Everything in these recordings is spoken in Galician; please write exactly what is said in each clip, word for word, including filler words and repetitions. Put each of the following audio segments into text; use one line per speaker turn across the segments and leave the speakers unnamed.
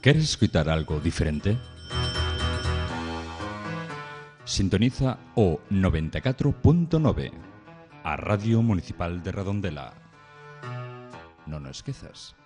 ¿Queres escuchar algo diferente? Sintoniza o noventa e catro punto nove, a Radio Municipal de Redondela. Non o esquezas.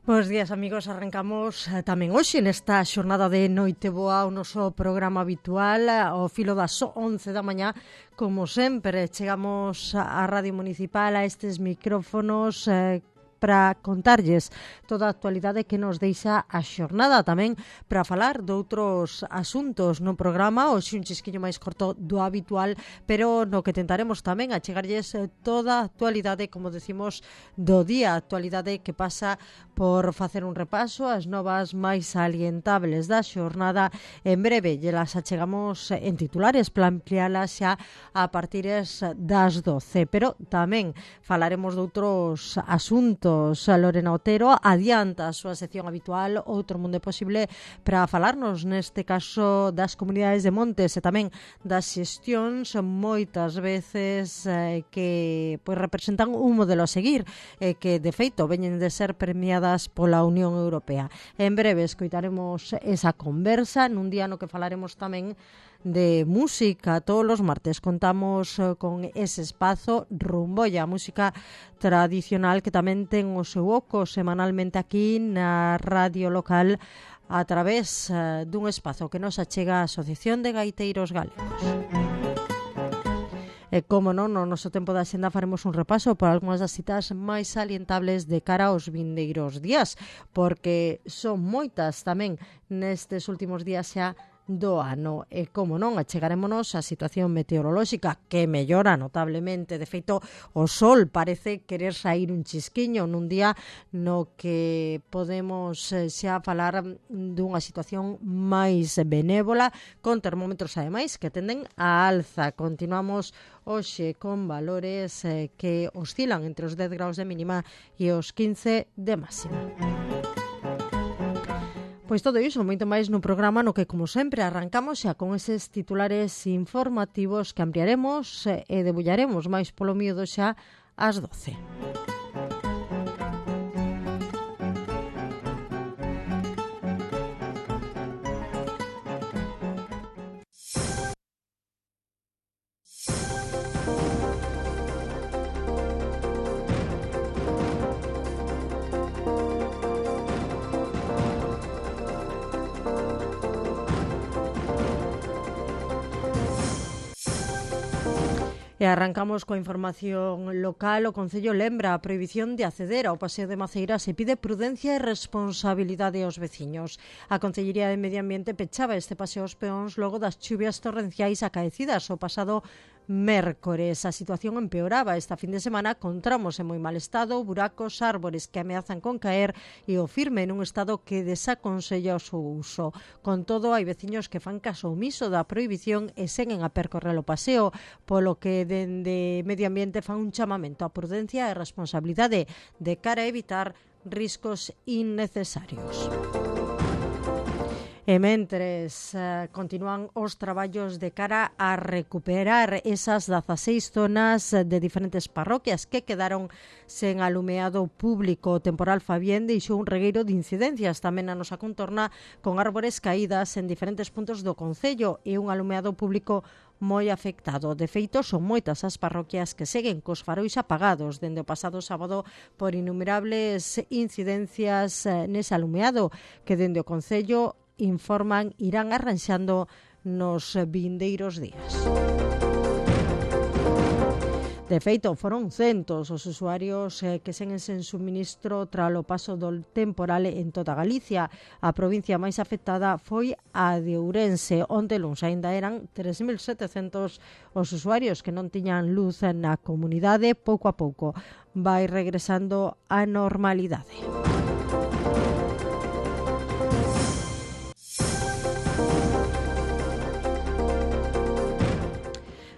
Bos días, amigos. Arrancamos eh, tamén hoxe nesta xornada de Noite Boa o noso programa habitual ao filo das once da mañá. Como sempre, chegamos á Radio Municipal, a estes micrófonos eh, para contarlles toda a actualidade que nos deixa a xornada, tamén para falar de outros asuntos no programa, hoxe un chisquiño máis corto do habitual, pero no que tentaremos tamén a chegarlles toda a actualidade, como decimos, do día, actualidade que pasa por facer un repaso as novas máis salientables da xornada. En breve, lle las achegamos en titulares para amplialas xa a partir das doce, pero tamén falaremos de outros asuntos. Lorena Otero adianta a súa sección habitual Outro Mundo Posible para falarnos neste caso das comunidades de montes e tamén das xestións moitas veces eh, que pois, representan un modelo a seguir e eh, que de feito veñen de ser premiadas pola Unión Europea. En breve escoitaremos esa conversa nun día no que falaremos tamén de música. Todos os martes contamos uh, con ese espazo Rumbolla, música tradicional que tamén ten o seu oco semanalmente aquí na radio local a través uh, dun espazo que nos achega a Asociación de Gaiteiros Galegos. E como non, no noso tempo da xenda faremos un repaso por algunhas das citas máis salientables de cara aos vindeiros días, porque son moitas tamén nestes últimos días xa do ano. E como non, achegarémonos a situación meteorolóxica que mellora notablemente. De feito, o sol parece querer sair un chisquiño nun día no que podemos xa falar dunha situación máis benévola, con termómetros ademais que tenden a alza. Continuamos hoxe con valores eh, que oscilan entre os dez graus de mínima e os quince de máxima. Pois todo iso, moito máis no programa no que, como sempre, arrancamos xa con eses titulares informativos que ampliaremos e debullaremos máis polo miedo xa ás doce. E arrancamos coa información local. O Concello lembra a prohibición de acceder ao Paseo de Maceiras e pide prudencia e responsabilidade aos veciños. A Concellería de Medio Ambiente pechaba este paseo aos peóns logo das chuvias torrenciais acaecidas o pasado mércores. A situación empeoraba esta fin de semana con tramos en moi mal estado, buracos, árbores que ameazan con caer e o firme nun estado que desaconsella o seu uso. Con todo, hai veciños que fan caso omiso da prohibición e seguen a percorrer o paseo, polo que dende Medio Ambiente fan un chamamento á prudencia e responsabilidade de cara a evitar riscos innecesarios. E mentres eh, continúan os traballos de cara a recuperar esas dezaseis zonas de diferentes parroquias que quedaron sen alumeado público. O temporal Fabián deixou un regueiro de incidencias tamén na nosa contorna, con árbores caídas en diferentes puntos do concello e un alumeado público moi afectado. De feito, son moitas as parroquias que seguen cos farois apagados dende o pasado sábado por innumerables incidencias eh, nese alumeado que dende o concello informan irán arranxando nos vindeiros días. De feito, foron centos os usuarios eh, que seguen sen suministro tras o paso do temporal en toda Galicia. A provincia máis afectada foi a de Ourense, onde luns aínda eran tres mil setecentos os usuarios que non tiñan luz na comunidade. Pouco a pouco vai regresando a normalidade.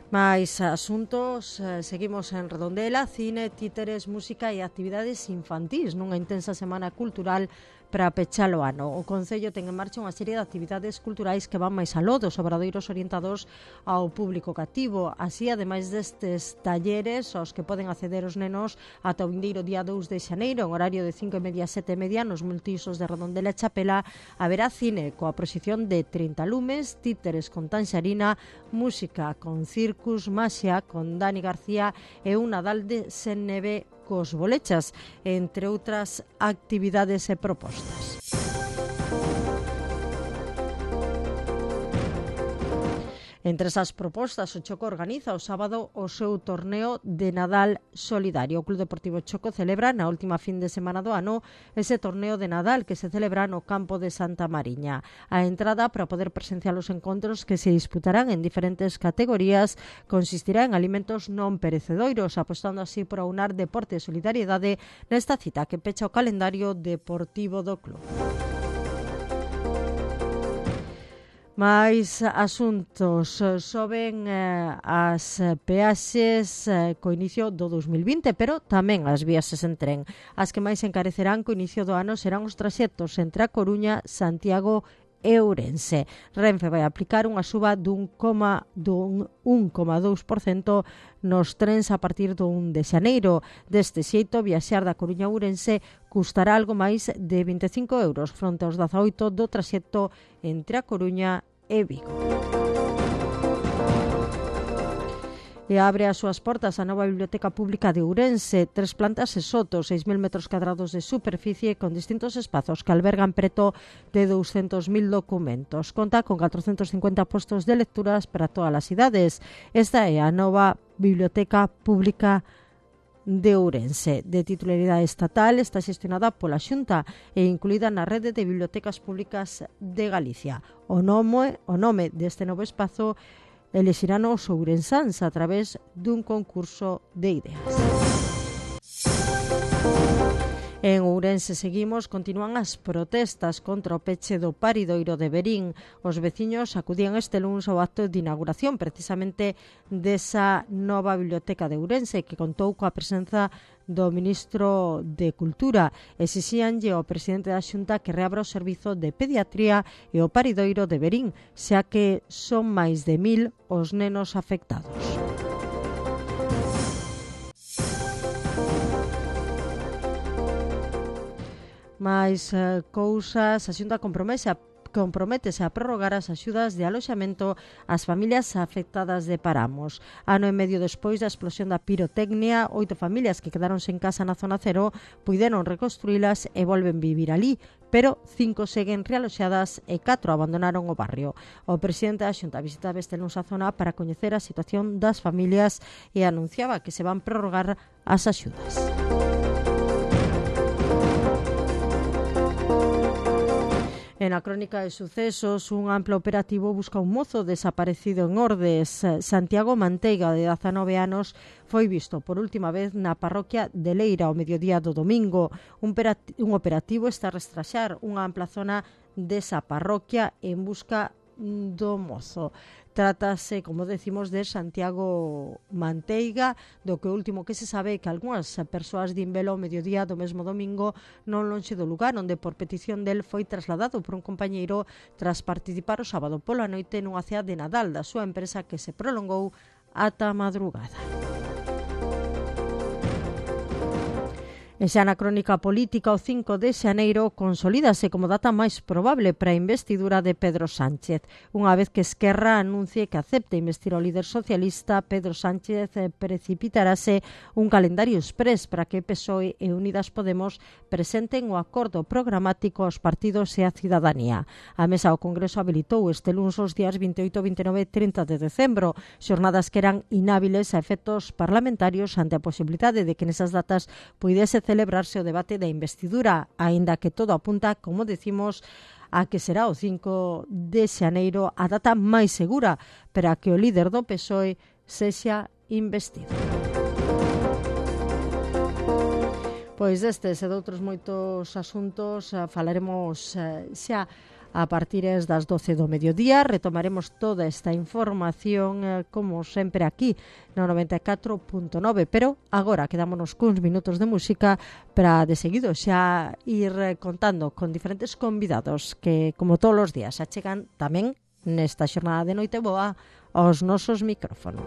Mais asuntos, eh, seguimos en Redondela, cine, títeres, música e actividades infantís nunha intensa semana cultural para pechar o ano. O Concello ten en marcha unha serie de actividades culturais que van máis aló dos obradoiros orientados ao público cativo. Así, ademais destes talleres aos que poden acceder os nenos ata o vindeiro día dous de xaneiro, en horario de cinco e media a sete e media, nos multiusos de Redondela e Chapela, haberá cine coa proxección de trinta lumes, títeres con tanxarina, música con circus, maxia con Dani García e un Nadal de sen neve cos bolechas, entre outras actividades e propostas. Entre esas propostas, o Choco organiza o sábado o seu torneo de Nadal solidario. O Club Deportivo Choco celebra na última fin de semana do ano ese torneo de Nadal que se celebra no campo de Santa Mariña. A entrada para poder presenciar os encontros que se disputarán en diferentes categorías consistirá en alimentos non perecedoiros, apostando así por aunar deporte e solidariedade nesta cita que pecha o calendario deportivo do club. Mais asuntos. Soben eh, as peaxes eh, co inicio do dos mil vinte, pero tamén as viaxes en tren. As que máis encarecerán co inicio do ano serán os traxectos entre a Coruña, Santiago e Ourense. Renfe vai aplicar unha suba dun un coma dous por cento nos trens a partir do un de xaneiro. Deste xeito, viaxar da Coruña a Ourense custará algo máis de vinte e cinco euros fronte aos dezaoito do traxecto entre a Coruña e Vigo. E abre as súas portas a nova Biblioteca Pública de Ourense, tres plantas e soto, seis mil metros cadrados de superficie con distintos espazos que albergan preto de douscentos mil documentos. Conta con catrocentos cincuenta postos de lecturas para todas as idades. Esta é a nova Biblioteca Pública de Ourense. De titularidade estatal, está xestionada pola Xunta e incluída na rede de bibliotecas públicas de Galicia. O nome, o nome deste novo espazo elexirán os ourensáns a través dun concurso de ideas. En Ourense seguimos, continúan as protestas contra o peche do paridoiro de Verín. Os veciños acudían este luns ao acto de inauguración precisamente desa nova biblioteca de Ourense que contou coa presenza do ministro de Cultura. Exixíanlle ao presidente da Xunta que reabra o servizo de pediatría e o paridoiro de Verín, xa que son máis de mil os nenos afectados. Mais eh, cousas, a Xunta compromete a comprométese a prorrogar as axudas de aloxamento ás familias afectadas de Paramos. Ano e medio despois da explosión da pirotecnia, oito familias que quedaron sen casa na zona cero puideron reconstruílas e volven vivir ali, pero cinco seguen realoxadas e catro abandonaron o barrio. O presidente da Xunta visitaba este luns a zona para coñecer a situación das familias e anunciaba que se van prorrogar as axudas. En a crónica de sucesos, un amplo operativo busca un mozo desaparecido en Ordes. Santiago Manteiga, de dezanove anos, foi visto por última vez na parroquia de Leira ao mediodía do domingo. Un, un operativo está a rastraxar unha ampla zona desa parroquia en busca do mozo. Trátase, como decimos, de Santiago Manteiga, do que o último que se sabe é que algunhas persoas din velo ao mediodía do mesmo domingo non lonxe do lugar onde por petición del foi trasladado por un compañeiro tras participar o sábado pola noite nunha cea de Nadal da súa empresa que se prolongou ata a madrugada. E xa na crónica política, o cinco de xaneiro consolídase como data máis probable para a investidura de Pedro Sánchez. Unha vez que Esquerra anuncie que acepte investir ao líder socialista, Pedro Sánchez precipitarase un calendario exprés para que P S O E e Unidas Podemos presenten o acordo programático aos partidos e a cidadanía. A mesa do Congreso habilitou este luns os días veintioito, veintinueve e trinta de decembro, xornadas que eran inhábiles a efectos parlamentarios ante a posibilidade de que nesas datas puidese celebrarse o debate da investidura, aínda que todo apunta, como decimos, a que será o cinco de xaneiro a data máis segura para que o líder do P S O E sexa investido. Pois destes e doutros moitos asuntos falaremos xa a partir das doce do mediodía. Retomaremos toda esta información, eh, como sempre, aquí no noventa e catro punto nove, pero agora quedámonos cuns minutos de música para de seguido xa ir contando con diferentes convidados que, como todos os días, achegan tamén nesta xornada de Noite Boa aos nosos micrófonos.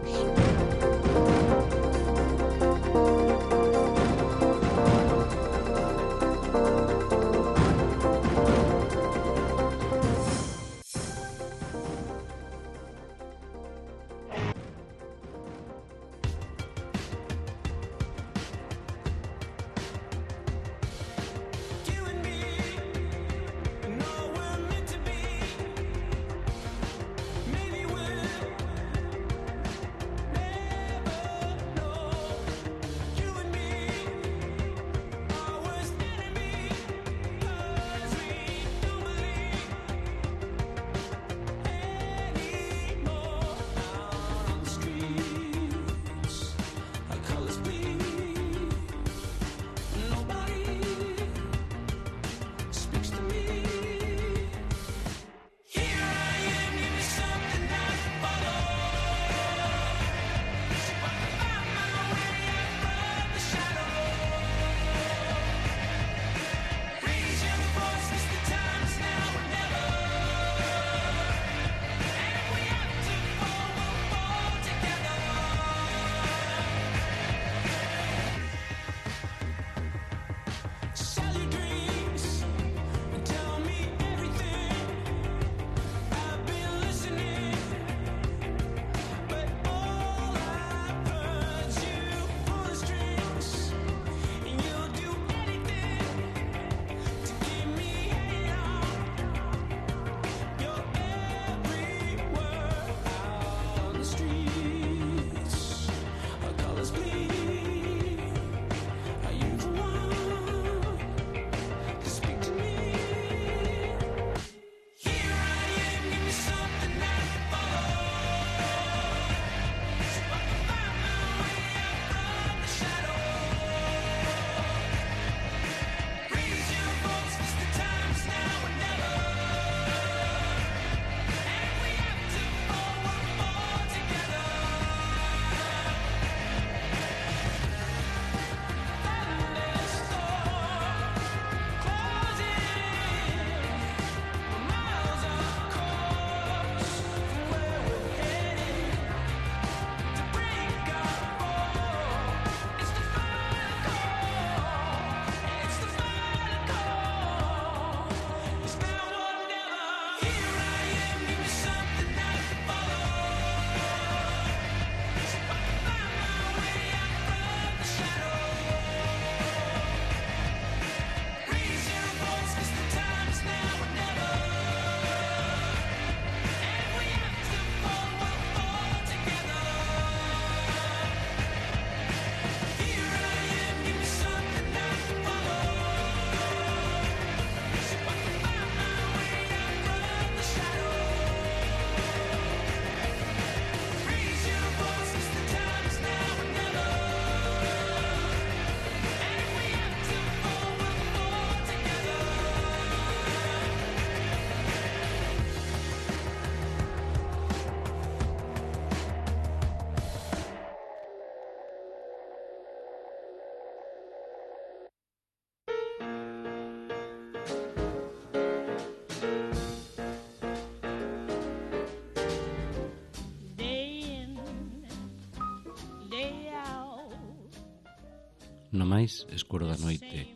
No máis escuro da noite,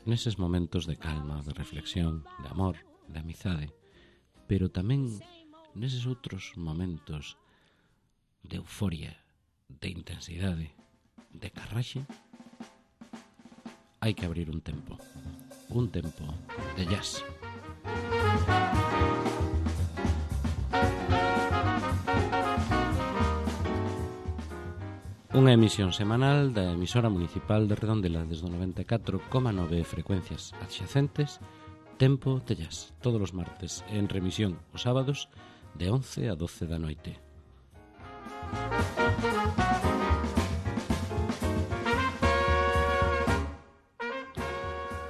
neses momentos de calma, de reflexión, de amor, de amizade, pero tamén neses outros momentos de euforia, de intensidade, de carraxe, hai que abrir un tempo, un tempo de jazz. Unha emisión semanal da emisora municipal de Redondela desde o noventa e catro coma nove frecuencias adxacentes, Tempo de Jazz, todos os martes, en remisión os sábados de once a doce da noite.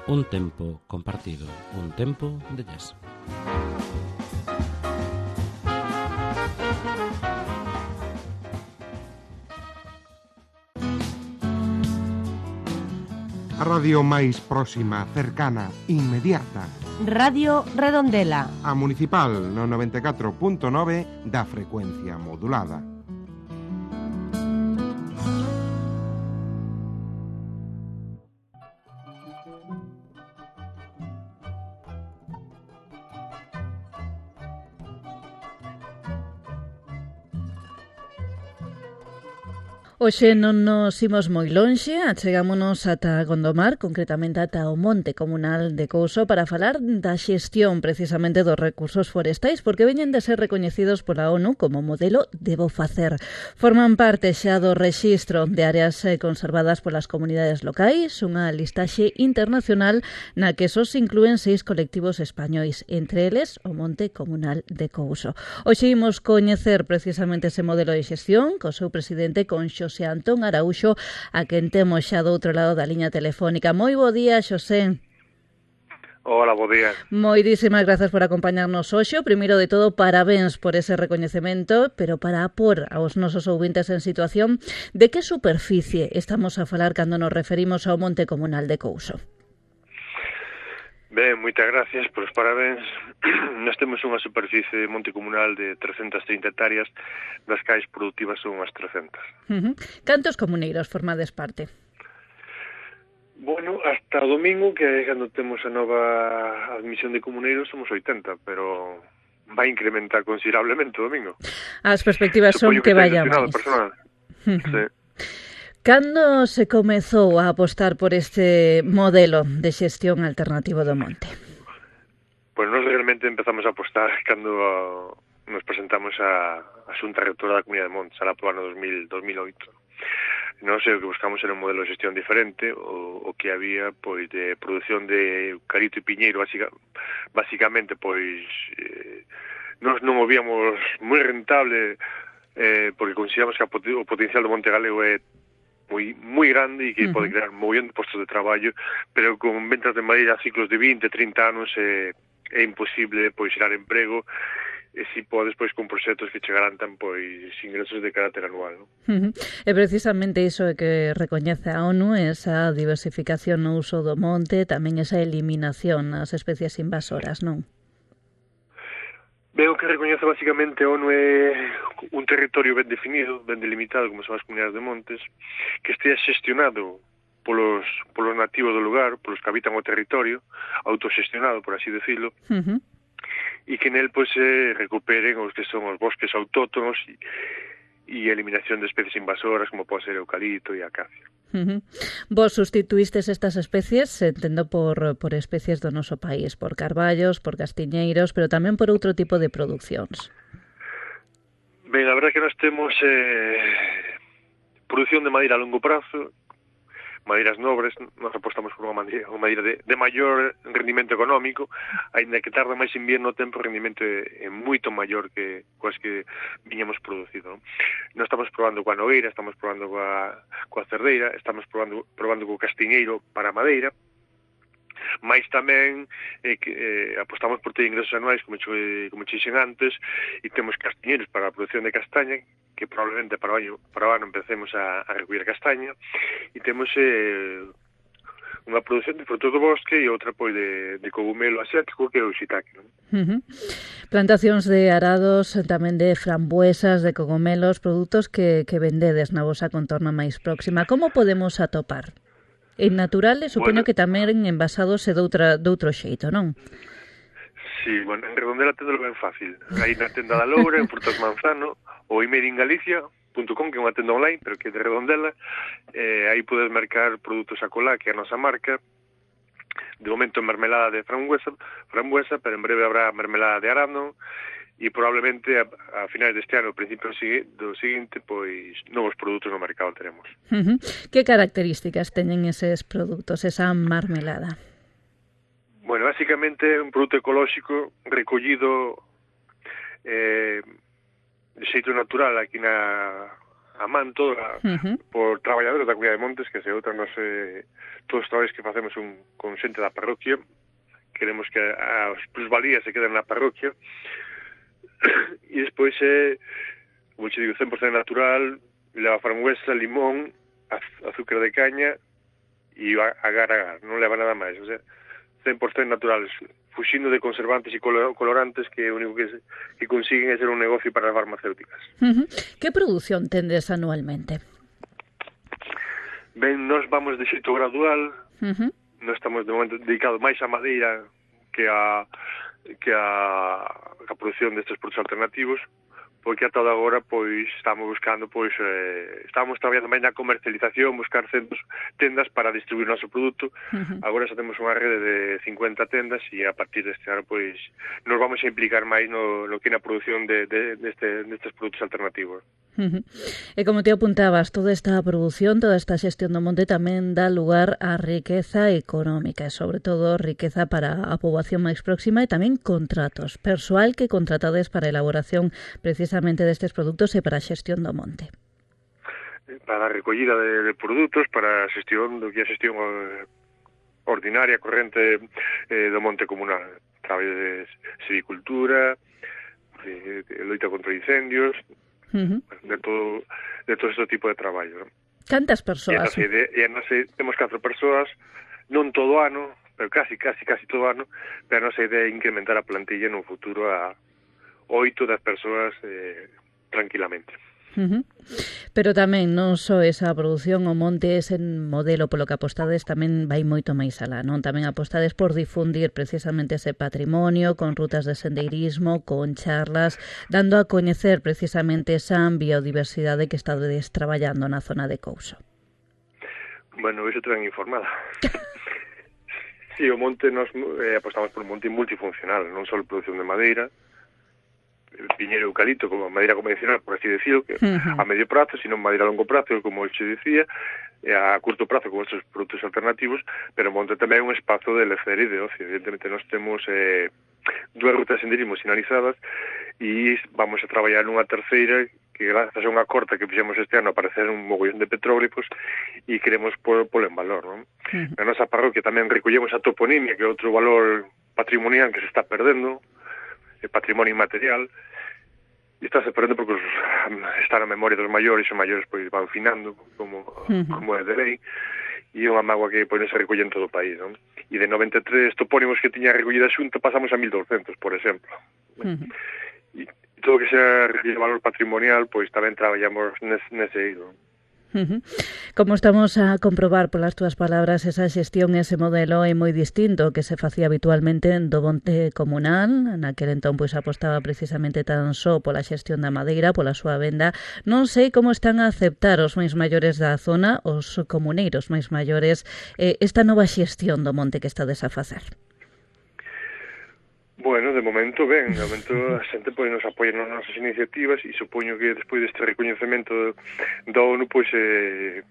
Un tempo compartido, un tempo de jazz.
A radio máis próxima, cercana, inmediata.
Radio Redondela.
A Municipal no noventa e catro punto nove da frecuencia modulada.
Hoxe non nos imos moi lonxe, achegámonos ata Gondomar, concretamente ata o Monte Comunal de Couso, para falar da xestión precisamente dos recursos forestais, porque veñen de ser recoñecidos pola ONU como modelo de bo facer. Forman parte xa do rexistro de áreas conservadas polas comunidades locais, unha listaxe internacional na que só se inclúen seis colectivos españois, entre eles o Monte Comunal de Couso. Hoxe imos coñecer precisamente ese modelo de xestión co seu presidente, con Xosé Antón Araúxo, a quen temos xa do outro lado da liña telefónica. Moi bo día, Xosé.
Hola, bo día.
Moitísimas grazas por acompañarnos hoxe. Primeiro de todo, parabéns por ese recoñecemento, pero para apor aos nosos ouvintes en situación, de que superficie estamos a falar cando nos referimos ao Monte Comunal de Couso?
Ben, moitas gracias polos parabéns. Nós temos unha superficie de monte comunal de trescentas trinta hectáreas, das cais productivas son unhas trescentas.
Uh-huh. Cantos comuneiros formades parte?
Bueno, hasta o domingo, que é cando temos a nova admisión de comuneiros, somos oitenta, pero vai incrementar considerablemente o domingo.
As perspectivas son que, que vaya máis.
Uh-huh. Sí.
Cando se comezou a apostar por este modelo de xestión alternativo do monte?
Pois nós realmente empezamos a apostar cando nos presentamos a, a Xunta Rectora da Comunidade de Montes, alá por ano dos mil oito. Non sei, o que buscamos era un modelo de xestión diferente, o, o que había, pois, de produción de eucalipto e piñeiro, básica, basicamente, pois, eh, nós non o víamos moi rentable, eh, porque consideramos que o potencial do Monte Galego é moi moi grande e que uh-huh. pode crear mogollón de postos de traballo, pero con ventas de madeira a ciclos de vinte, trinta anos é, é imposible pois xerar emprego, e si podes pois con proxectos que che garantan pois ingresos de carácter anual, ¿no?
Uh-huh. E precisamente iso é que recoñece a ONU, esa diversificación no uso do monte, tamén esa eliminación nas especies invasoras, non?
Veo que recoñece basicamente a ONU é un territorio ben definido, ben delimitado, como son as comunidades de montes, que estea xestionado polos, polos nativos do lugar, polos que habitan o territorio, autoxestionado, por así decirlo, uh-huh. e que nel pois, se recuperen os que son os bosques autóctonos e, e a eliminación de especies invasoras, como pode ser eucalipto e acacia.
Uh-huh. Vos sustituístes estas especies, entendo, por, por especies do noso país, por carballos, por castiñeiros, pero tamén por outro tipo de producións.
Ben, a verdade é que nós temos eh, produción de madeira a longo prazo, madeiras nobres, nós apostamos por unha madeira, unha madeira de, de maior rendimento económico, aínda que tarda máis invierno o tempo, o rendimento é, é moito maior que coas que viñamos producido. Non? Nós estamos probando coa nogueira, estamos probando coa, coa cerdeira, estamos probando, probando co castiñeiro para a madeira, mais tamén eh, que, eh, apostamos por ter ingresos anuais, como che, como che dixen antes, e temos castiñeiros para a produción de castaña, que probablemente para o ano, para o ano empecemos a, a recoller castaña, e temos eh, unha produción de frutos do bosque e outra pois de, de cogumelo asiático, que é o shiitake, non?
Uh-huh. Plantacións de arados, tamén de frambuesas, de cogumelos, produtos que, que vendedes na vosa contorna máis próxima. Como podemos atopar? En naturales, supoño bueno, que tamén envasados e doutra, doutro xeito, non?
Sí, bueno, en Redondela tendelo ben fácil. Aí na tenda da Loura, en Frutas Manzano, ou Made in Galicia punto com, que é unha tenda online, pero que é de Redondela. Eh, aí podes mercar produtos a colá, que é a nosa marca. De momento mermelada de frambuesa, frambuesa, pero en breve habrá mermelada de arándano, e probablemente a, a finais deste ano, ao principio do seguinte, pois novos produtos no mercado teremos.
Uh-huh. Que características teñen eses produtos, esa marmelada?
Bueno, basicamente é un produto ecolóxico recollido eh, de xeito natural aquí na a man toda uh-huh. por traballadores da Comunidade de Montes, que se outra non sei, todos os traballos que facemos un, con xente da parroquia, queremos que as plusvalías se queden na parroquia. E despois é, como che digo, cen por cento natural, leva frambuesa, limón, azúcar de caña e agar-agar, non leva nada máis, o sea, cen por cento naturales, fuxindo de conservantes e colorantes que o único que, que consiguen é ser un negocio para as farmacéuticas.
Uh-huh. Que produción tendes anualmente?
Ben, nós vamos de xeito gradual,
uh-huh.
Nós estamos de momento dedicados máis á madeira que a que a, a produción destes produtos alternativos, porque ata agora pois estamos buscando pois eh, estamos traballando máis na comercialización, buscar centros, tendas para distribuir o noso produto. Uh-huh. Agora xa temos unha rede de cincuenta tendas e a partir deste ano pois nos vamos a implicar máis no, no que na produción de, de, deste, destes produtos alternativos.
Uh-huh. E como te apuntabas, toda esta produción, toda esta xestión do monte tamén dá lugar á riqueza económica e sobre todo riqueza para a poboación máis próxima e tamén contratos, persoal que contratades para a elaboración precisamente destes produtos e para a xestión do monte.
Para a recollida de, de produtos, para a xestión do que é a xestión ordinaria, corrente eh, do monte comunal, a través de silvicultura, de, de loita contra incendios, uh-huh. de todo de todo este tipo de traballo.
Cantas persoas?
E a nosa, temos catro persoas, non todo ano, pero casi, casi, casi todo ano, pero a nosa idea é incrementar a plantilla no futuro a oito das persoas eh, tranquilamente.
Uh-huh. Pero tamén non só esa produción, o monte ese modelo polo que apostades tamén vai moito máis alá, non? Tamén apostades por difundir precisamente ese patrimonio con rutas de sendeirismo, con charlas, dando a coñecer precisamente esa biodiversidade que estades traballando na zona de Couso.
Bueno, iso te ben informada. Sí, o monte, nos eh, apostamos por un monte multifuncional, non só produción de madeira, piñeiro eucalipto como madeira convencional, por así decirlo, que uh-huh. a medio prazo, sino madeira a longo prazo, como eu che dicía, e a curto prazo con estes produtos alternativos, pero monte tamén é un espazo de lecer e de ocio. Evidentemente, nós temos eh, dúas rutas de senderismo sinalizadas e vamos a traballar nunha terceira que grazas a unha corta que fixemos este ano aparecer un mogollón de petróglifos e queremos polo en valor, non? Uh-huh. Na nosa parroquia tamén recollemos a toponimia, que é outro valor patrimonial que se está perdendo, el patrimonio inmaterial, e está se perdendo porque os, está na memoria dos maiores, e os maiores pois van finando como, uh-huh. como é de lei, e é unha mágoa que pois, se recolle en todo o país, non? E de noventa e tres topónimos que tiña recollida a Xunta pasamos a mil doscientos, por exemplo. Uh-huh. E todo o que sea recolle valor patrimonial, pois tamén traballamos nese, nese eido.
Uh-huh. Como estamos a comprobar polas túas palabras, esa xestión, ese modelo é moi distinto que se facía habitualmente do monte comunal. Naquel entón pois apostaba precisamente tan só pola xestión da madeira, pola súa venda. Non sei como están a aceptar os máis maiores da zona, os comuneiros máis maiores, eh, esta nova xestión do monte que estades a facer.
Bueno, de momento ben, de momento a xente pois nos apoia nas nosas iniciativas e supoño que despois deste recoñecemento da ONU pois eh,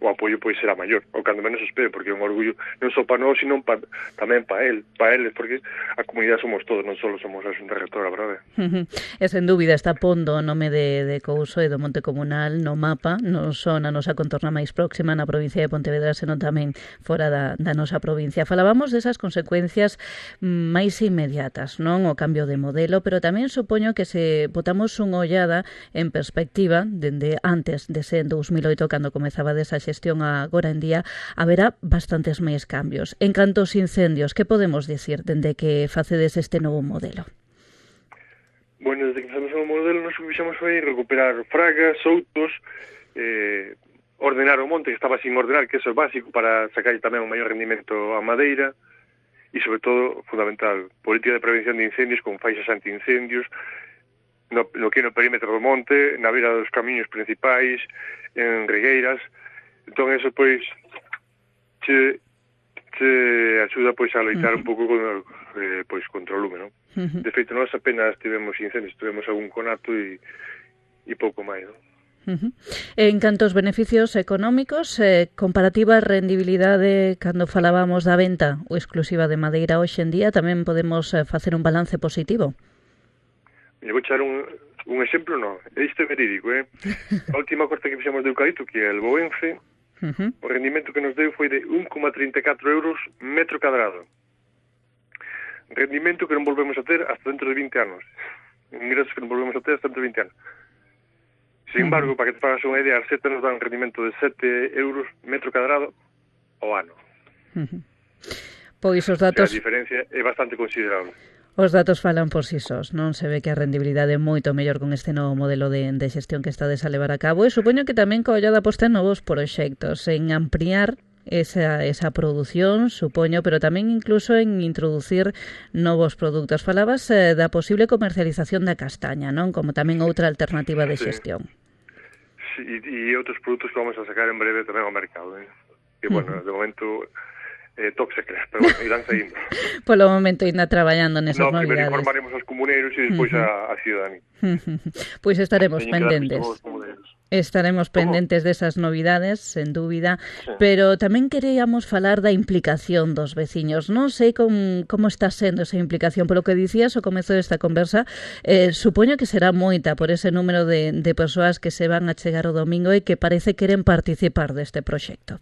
o apoio pois será maior, ou cando menos espero, porque é un orgullo non só para nós, sino pa, tamén para el, para eles, porque a comunidade somos todos, non só somos a Xunta Rectora, verdade?
Uh-huh. E sen dúbida está pondo o nome de, de Couso e do Monte Comunal no mapa, non só na nosa contorna máis próxima na provincia de Pontevedra, senón tamén fora da, da nosa provincia. Falábamos desas consecuencias máis inmediatas, non? O cambio de modelo, pero tamén supoño que se botamos unha ollada en perspectiva, dende antes de ser en dous mil oito, cando comezaba desa xestión agora en día, haberá bastantes máis cambios. En canto aos incendios, que podemos dicir dende que facedes este novo modelo?
Bueno, desde que facemos o novo modelo, nos que fixemos foi recuperar fragas, outos, eh, ordenar o monte, que estaba sin ordenar, que eso é básico para sacar tamén un maior rendimento a madeira, e, sobre todo, fundamental, política de prevención de incendios con faixas anti-incendios, no, no que é no perímetro do monte, na beira dos camiños principais, en regueiras. Entón, eso, pois, che, che axuda, pois, a loitar uh-huh. un pouco con, eh, pois, contra o lume, non? Uh-huh. De feito, nós apenas tivemos incendios, tivemos algún conato e, e pouco máis, non?
Uh-huh. En canto aos beneficios económicos, eh, comparativa rendibilidade cando falábamos da venta ou exclusiva de madeira hoxe en día, tamén podemos eh, facer un balance positivo?
Me vou echar un, un exemplo, non, isto é verídico, eh? A última corta que fixemos de eucalipto, que é el Boense, uh-huh. o rendimento que nos deu foi de un coma trinta e catro euros metro cadrado. rendimento que non volvemos a ter hasta dentro de vinte anos. Ingresos que non volvemos a ter hasta dentro de vinte anos. Sin embargo, para que te pagas unha idea, a Arseta nos dá un rendimento de sete euros metro cadrado ao ano.
Uh-huh. Pois os datos...
O sea, a diferencia é bastante considerable.
Os datos falan por si sós, non? Se ve que a rendibilidade é moito mellor con este novo modelo de, de xestión que estades a levar a cabo, e supoño que tamén co ollada posta en novos proxectos, en ampliar esa, esa produción, supoño, pero tamén incluso en introducir novos produtos. Falabas eh, da posible comercialización da castaña, non? Como tamén outra alternativa de xestión.
Sí, e outros produtos que vamos a sacar en breve tamén ao mercado, eh? Que, bueno, uh-huh. de momento... Eh, toque se crea, pero bueno, irán saindo.
Polo momento ainda traballando nesas
no,
novidades.
No, primeiro informaremos aos comuneiros e despois uh-huh. a, a ciudadanía.
Uh-huh. Pois estaremos
Teñen
pendentes. Estaremos pendentes desas novidades, sen dúbida, sí. Pero tamén queríamos falar da implicación dos veciños. Non sei com, como está sendo esa implicación, polo que dicías ao comezo desta conversa, eh, supoño que será moita por ese número de, de persoas que se van a chegar o domingo e que parece queren participar deste proxecto.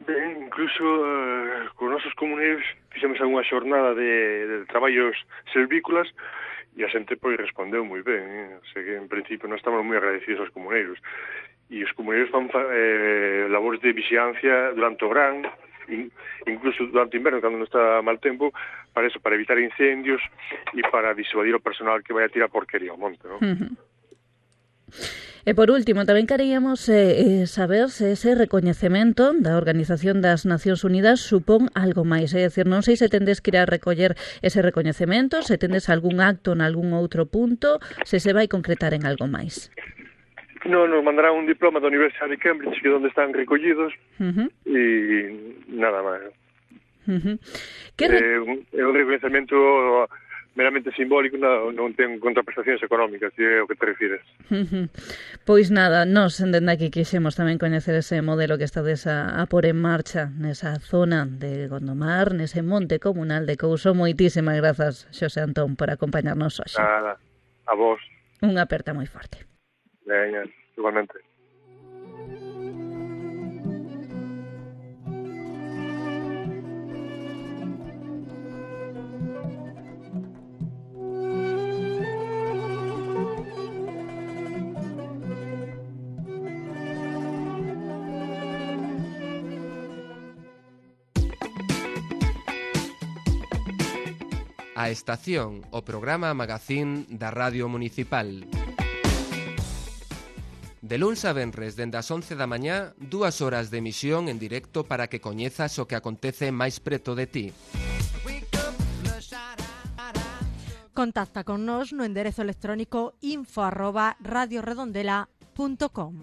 Ben, incluso uh, con nosos comuneiros fixemos unha xornada de, de traballos servícolas e a xente pois respondeu moi ben, eh? O sea que en principio non estamos moi agradecidos aos comuneiros, e os comuneiros fan eh, labores de vixiancia durante o verán, in, incluso durante o inverno cando non está mal tempo, para eso, para evitar incendios e para disuadir o personal que vai a tirar porquería ao monte, non? Uh-huh.
E por último, tamén queríamos eh, saber se ese recoñecemento da Organización das Nacións Unidas supón algo máis. É dicir, non sei se tendes que ir a recoller ese recoñecemento, se tendes algún acto en algún outro punto, se se vai concretar en algo máis.
No, nos mandará un diploma da Universidade de Cambridge, que é onde están recollidos, uh-huh. e nada máis.
Uh-huh.
Que re... eh, un, é un recoñecemento meramente simbólico, non, non ten contraprestacións económicas, se é o que te refires.
Uh-huh. Pois nada, nós dende aquí quixemos tamén coñecer ese modelo que estades a, a pôr en marcha nesa zona de Gondomar, nese monte comunal de Couso. Moitísimas grazas, Xosé Antón, por acompañarnos hoxe.
Nada, a vos.
Unha aperta moi forte.
Veña, igualmente.
A Estación, o programa magazín da Radio Municipal. De luns a venres, dende as once da mañá, dúas horas de emisión en directo para que coñezas o que acontece máis preto de ti.
Contacta con nós no enderezo electrónico info arroba radioredondela punto com.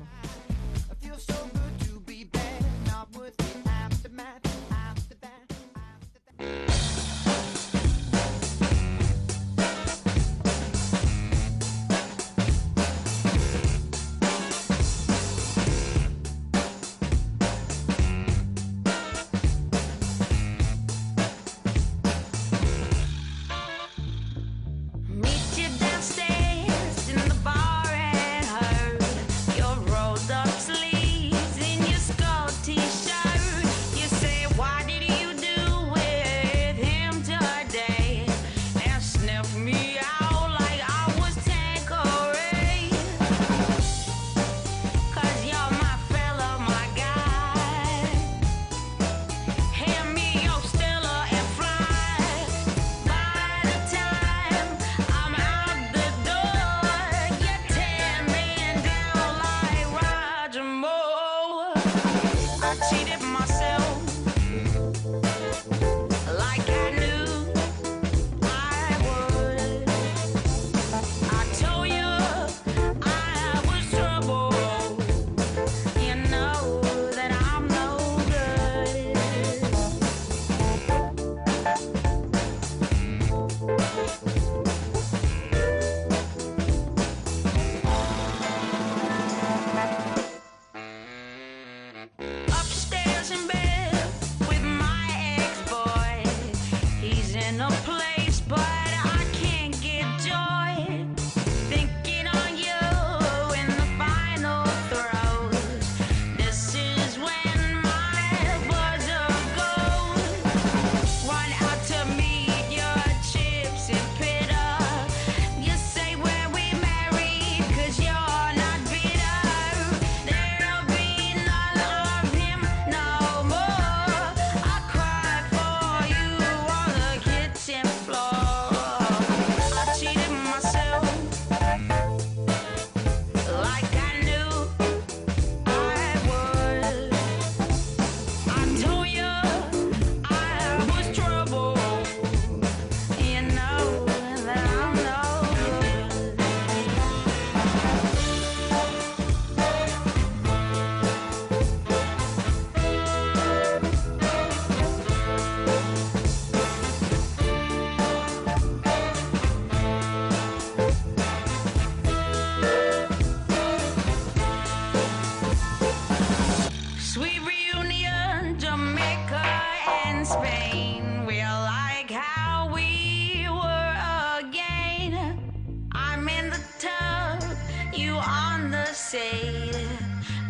Upstairs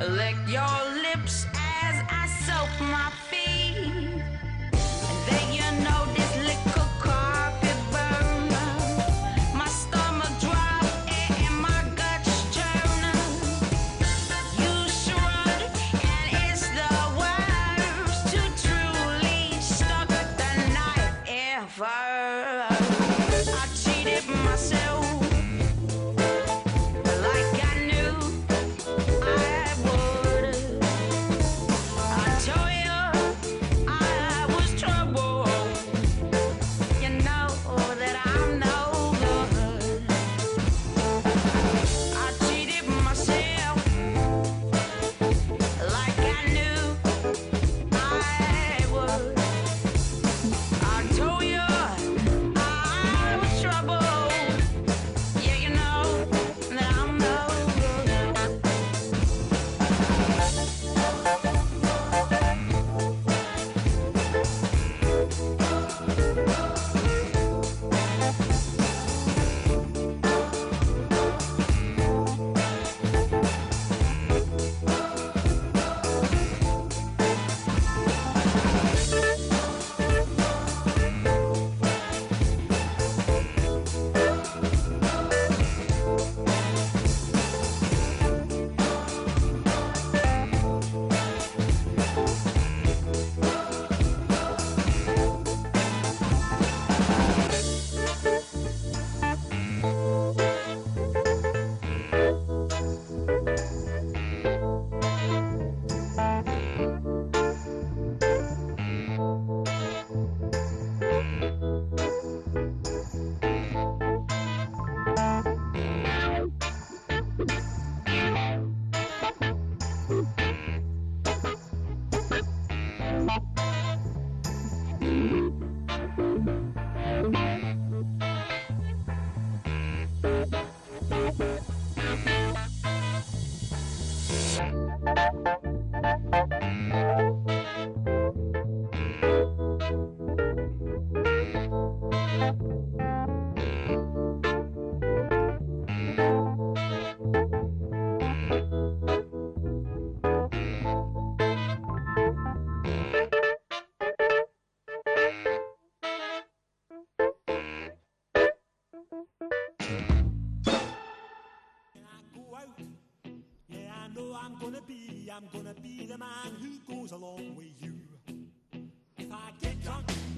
lick your lips as I soak my feet. And then you know this little coffee burn. My stomach drop and my guts turn. You shrug and it's the worst to truly stuck the night ever. I cheated myself.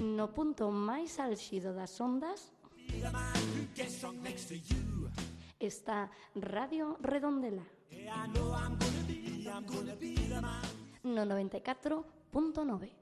No punto máis álxido das ondas está Radio Redondela no noventa e catro punto nove.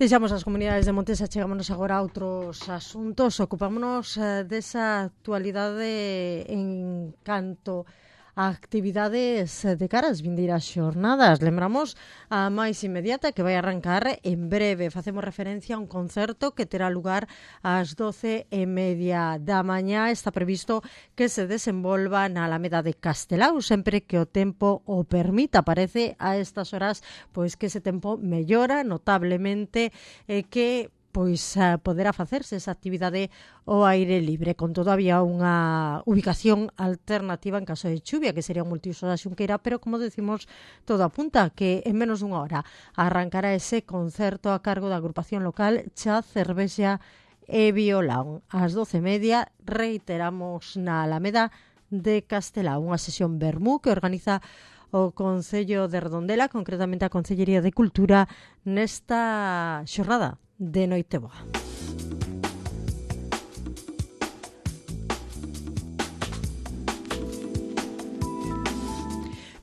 Deixamos as comunidades de Montes e chegámonos agora a outros asuntos. Ocupámonos eh, desa actualidade en canto a actividades de cara ás vindeiras xornadas. Lembramos a máis inmediata que vai arrancar en breve. Facemos referencia a un concerto que terá lugar ás doce e media da mañá. Está previsto que se desenvolva na Alameda de Castelao, sempre que o tempo o permita. Parece a estas horas pois que ese tempo mellora notablemente e eh, que pois uh, poderá facerse esa actividade ao aire libre. Con todo, había unha ubicación alternativa en caso de chuvia, que sería un multiuso da Xunqueira, pero, como decimos, todo apunta que en menos dunha hora arrancará ese concerto a cargo da agrupación local Cha, Cervexa e Violán. Ás doce e media, reiteramos, na Alameda de Castelao, unha sesión vermú que organiza o Concello de Redondela, concretamente a Concellería de Cultura, nesta xornada de Noiteboa.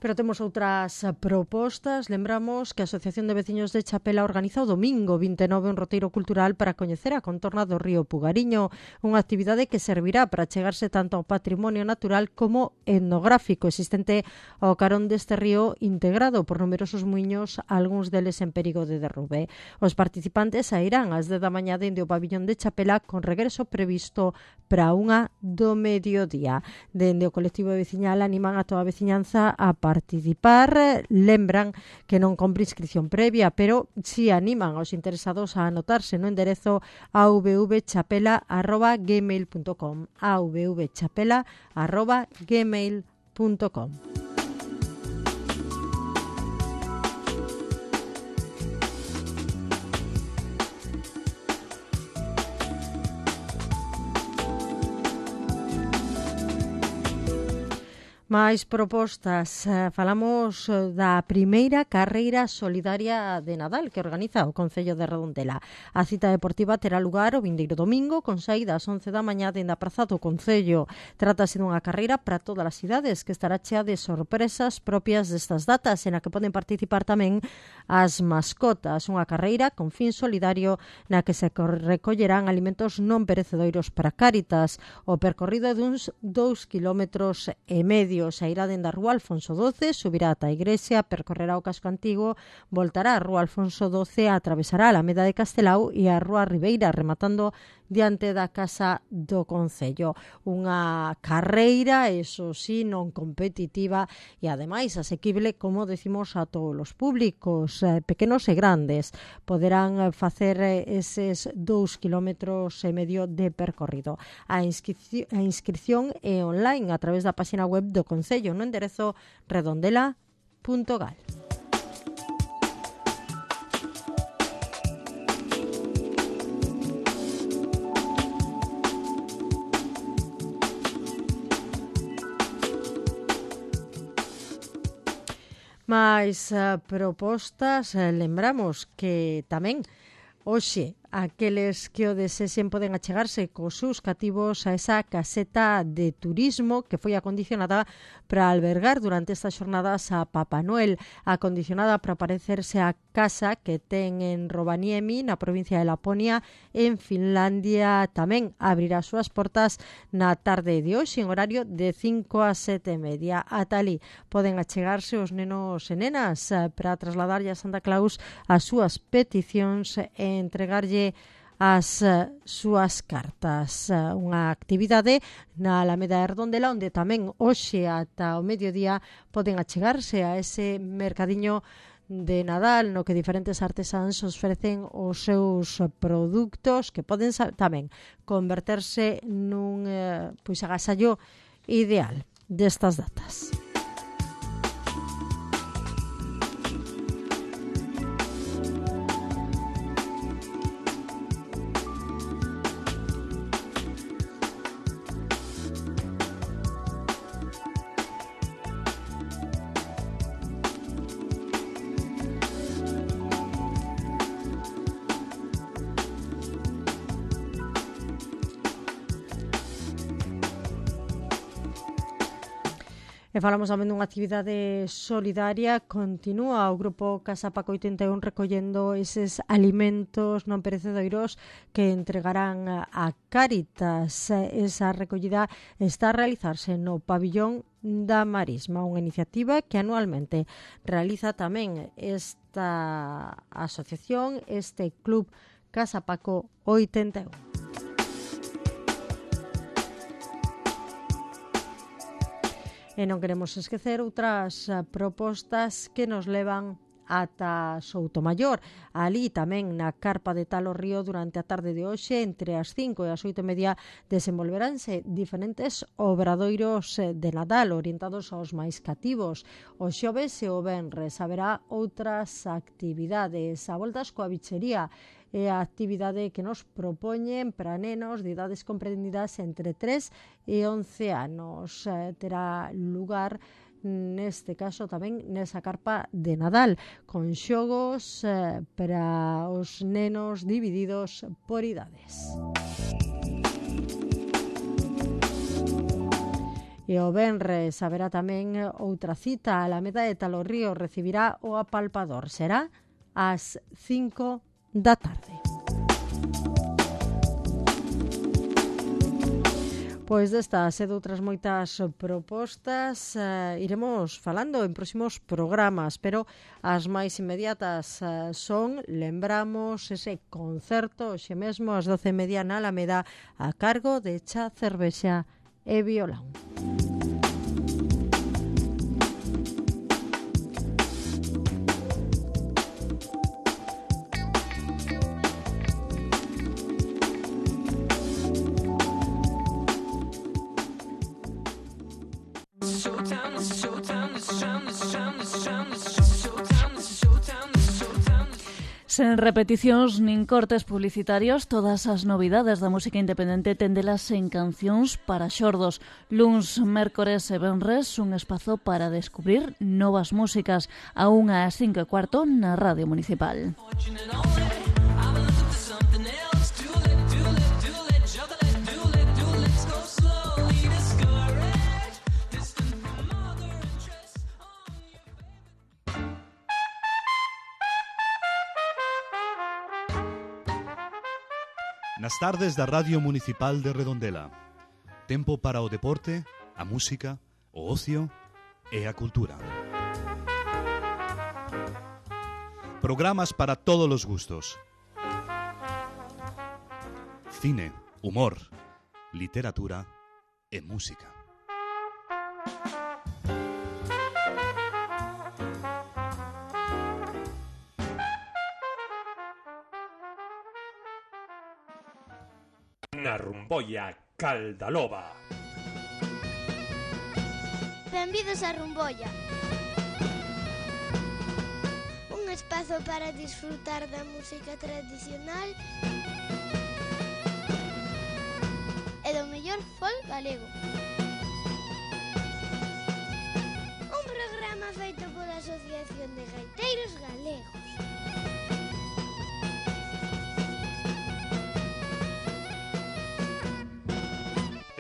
Pero temos outras propostas. Lembramos que a Asociación de Veciños de Chapela organiza o domingo vinte e nove un roteiro cultural para coñecer a contorna do río Pugariño, unha actividade que servirá para chegarse tanto ao patrimonio natural como etnográfico existente ao carón deste río integrado por numerosos muiños, algúns deles en perigo de derrube. Os participantes sairán ás dez da mañá dende o pabillón de Chapela con regreso previsto para unha do mediodía. Dende o colectivo veciñal animan a toda a veciñanza a participar. Lembran que non compre inscripción previa, pero si animan aos interesados a anotarse no enderezo a v v chapela arroba gmail punto com a v v chapela arroba gmail punto com. Máis propostas. Falamos da primeira carreira solidaria de Nadal que organiza o Concello de Redondela. A cita deportiva terá lugar o vindeiro domingo con saída ás once da mañá dende a praza do Concello. Trátase dunha carreira para todas as cidades que estará chea de sorpresas propias destas datas, en a que poden participar tamén as mascotas. Unha carreira con fin solidario na que se recollerán alimentos non perecedoiros para Cáritas. O percorrido é duns dous kilómetros e medio. Sairá dende a Rúa Alfonso doce, subirá ata a igrexa, percorrerá o casco antigo, voltará a Rúa Alfonso doce, atravesará a Alameda de Castelao e a Rúa Ribeira, rematando diante da Casa do Concello. Unha carreira, eso sí, non competitiva e ademais asequible, como decimos, a todos os públicos, eh, pequenos e grandes. Poderán facer eses dous kilómetros e medio de percorrido. A inscripción, a inscripción é online a través da página web do Concello no enderezo redondela punto gal. Mais uh, propostas, uh, lembramos que tamén hoxe aqueles que o desexen poden achegarse cos seus cativos a esa caseta de turismo que foi acondicionada para albergar durante estas xornadas a Papá Noel, acondicionada para parecerse a casa que ten en Rovaniemi, na provincia de Laponia, en Finlandia. Tamén abrirá as súas portas na tarde de hoxe en horario de cinco a sete e media. Ata ali poden achegarse os nenos e nenas para trasladarlle a Santa Claus as súas peticións e entregarlle as uh, súas cartas. Uh, unha actividade na Alameda de Redondela onde tamén hoxe ata o mediodía poden achegarse a ese mercadiño de Nadal no que diferentes artesáns ofrecen os seus produtos que poden tamén converterse nun uh, pois agasallo ideal destas datas. E falamos tamén dunha actividade solidaria. Continúa o grupo Casa Paco oitenta e un recollendo eses alimentos non perecedoiros que entregarán a Cáritas. Esa recollida está a realizarse no pabillón da Marisma, unha iniciativa que anualmente realiza tamén esta asociación, este club Casa Paco oitenta e un. E non queremos esquecer outras propostas que nos levan ata Soutomaior. Ali tamén na carpa de Talo Río durante a tarde de hoxe entre as cinco e as oito e media desenvolveránse diferentes obradoiros de Nadal orientados aos máis cativos. O xoves e o venres haberá outras actividades. A voltas coa bichería é a actividade que nos propoñen para nenos de idades comprendidas entre tres e once anos. Eh, terá lugar neste caso tamén nesa carpa de Nadal con xogos eh, para os nenos divididos por idades. E o venres haberá tamén outra cita. A Alameda de Talorrío recibirá o apalpador. Será ás cinco da tarde. Pois destas e doutras moitas propostas eh, iremos falando en próximos programas, pero as máis inmediatas eh, son, lembramos, ese concerto xe mesmo ás doce e media na Alameda a cargo de Cha Cervexa e Violán.
Sen repeticións nin cortes publicitarios, todas as novidades da música independente téndelas en Cancións para Xordos. Luns, mércores e venres, un espazo para descubrir novas músicas, a unha ás cinco e cuarto na Radio Municipal.
Nas tardes da Radio Municipal de Redondela. Tempo para o deporte, a música, o ocio e a cultura. Programas para todos os gustos. Cine, humor, literatura e música.
Na Rumbolla Caldaloba.
Benvidos a Rumbolla. Un espazo para disfrutar da música tradicional e do mellor folk galego. Un programa feito pola Asociación de Gaiteiros Galegos.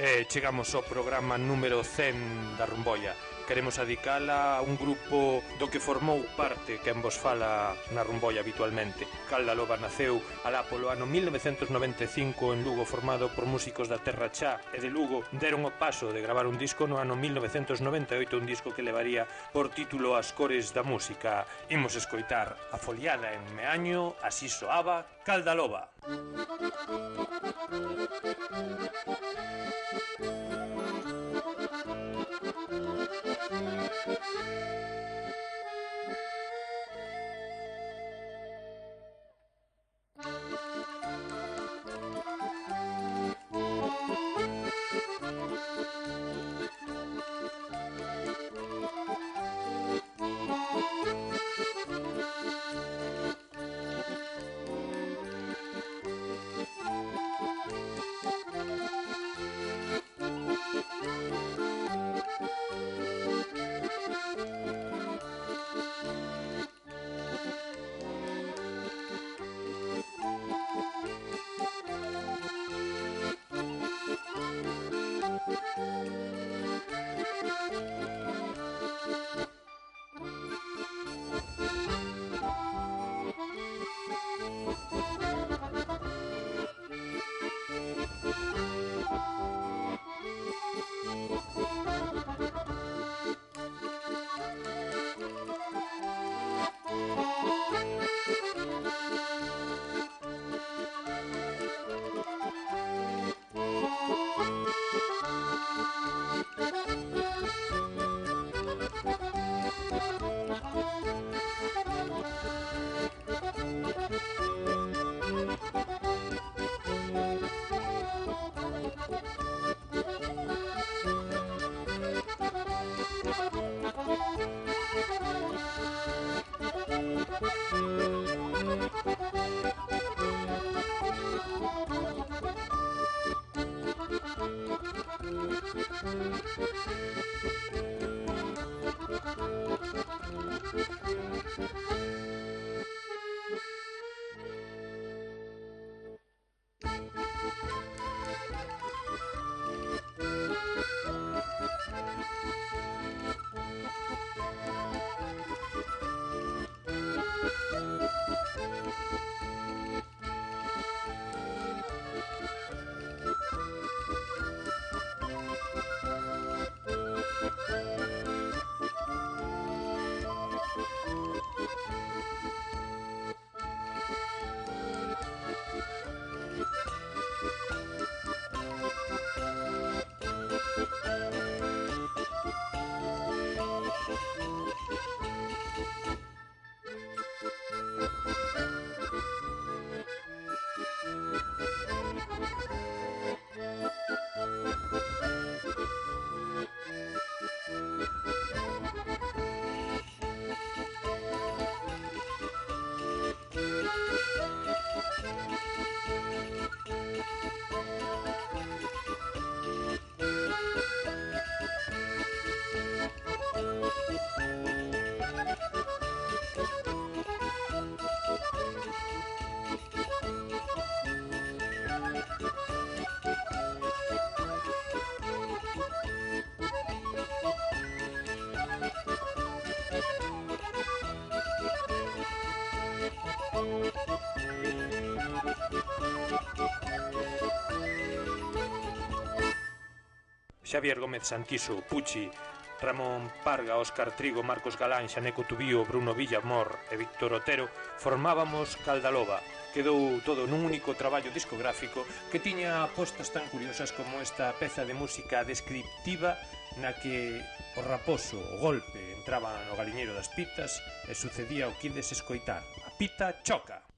Eh, chegamos ao programa número cen da Rumbolla. Queremos adicala a un grupo do que formou parte quen vos fala na Rumbolla habitualmente. Caldaloba naceu alá polo ano mil novecentos noventa e cinco en Lugo, formado por músicos da Terra Chá e de Lugo. Deron o paso de gravar un disco no ano mil novecentos noventa e oito, un disco que levaría por título As cores da música. Imos escoitar a foliada en Meaño, así soaba Caldaloba. Xavier Gómez Santiso, Puchi, Ramón Parga, Óscar Trigo, Marcos Galán, Xaneco Tubío, Bruno Villamor e Víctor Otero formábamos Caldaloba. Quedou todo nun único traballo discográfico que tiña apostas tan curiosas como esta peza de música descriptiva na que o raposo, o golpe, entraba no galiñeiro das pitas e sucedía o que ides escoitar. A pita choca.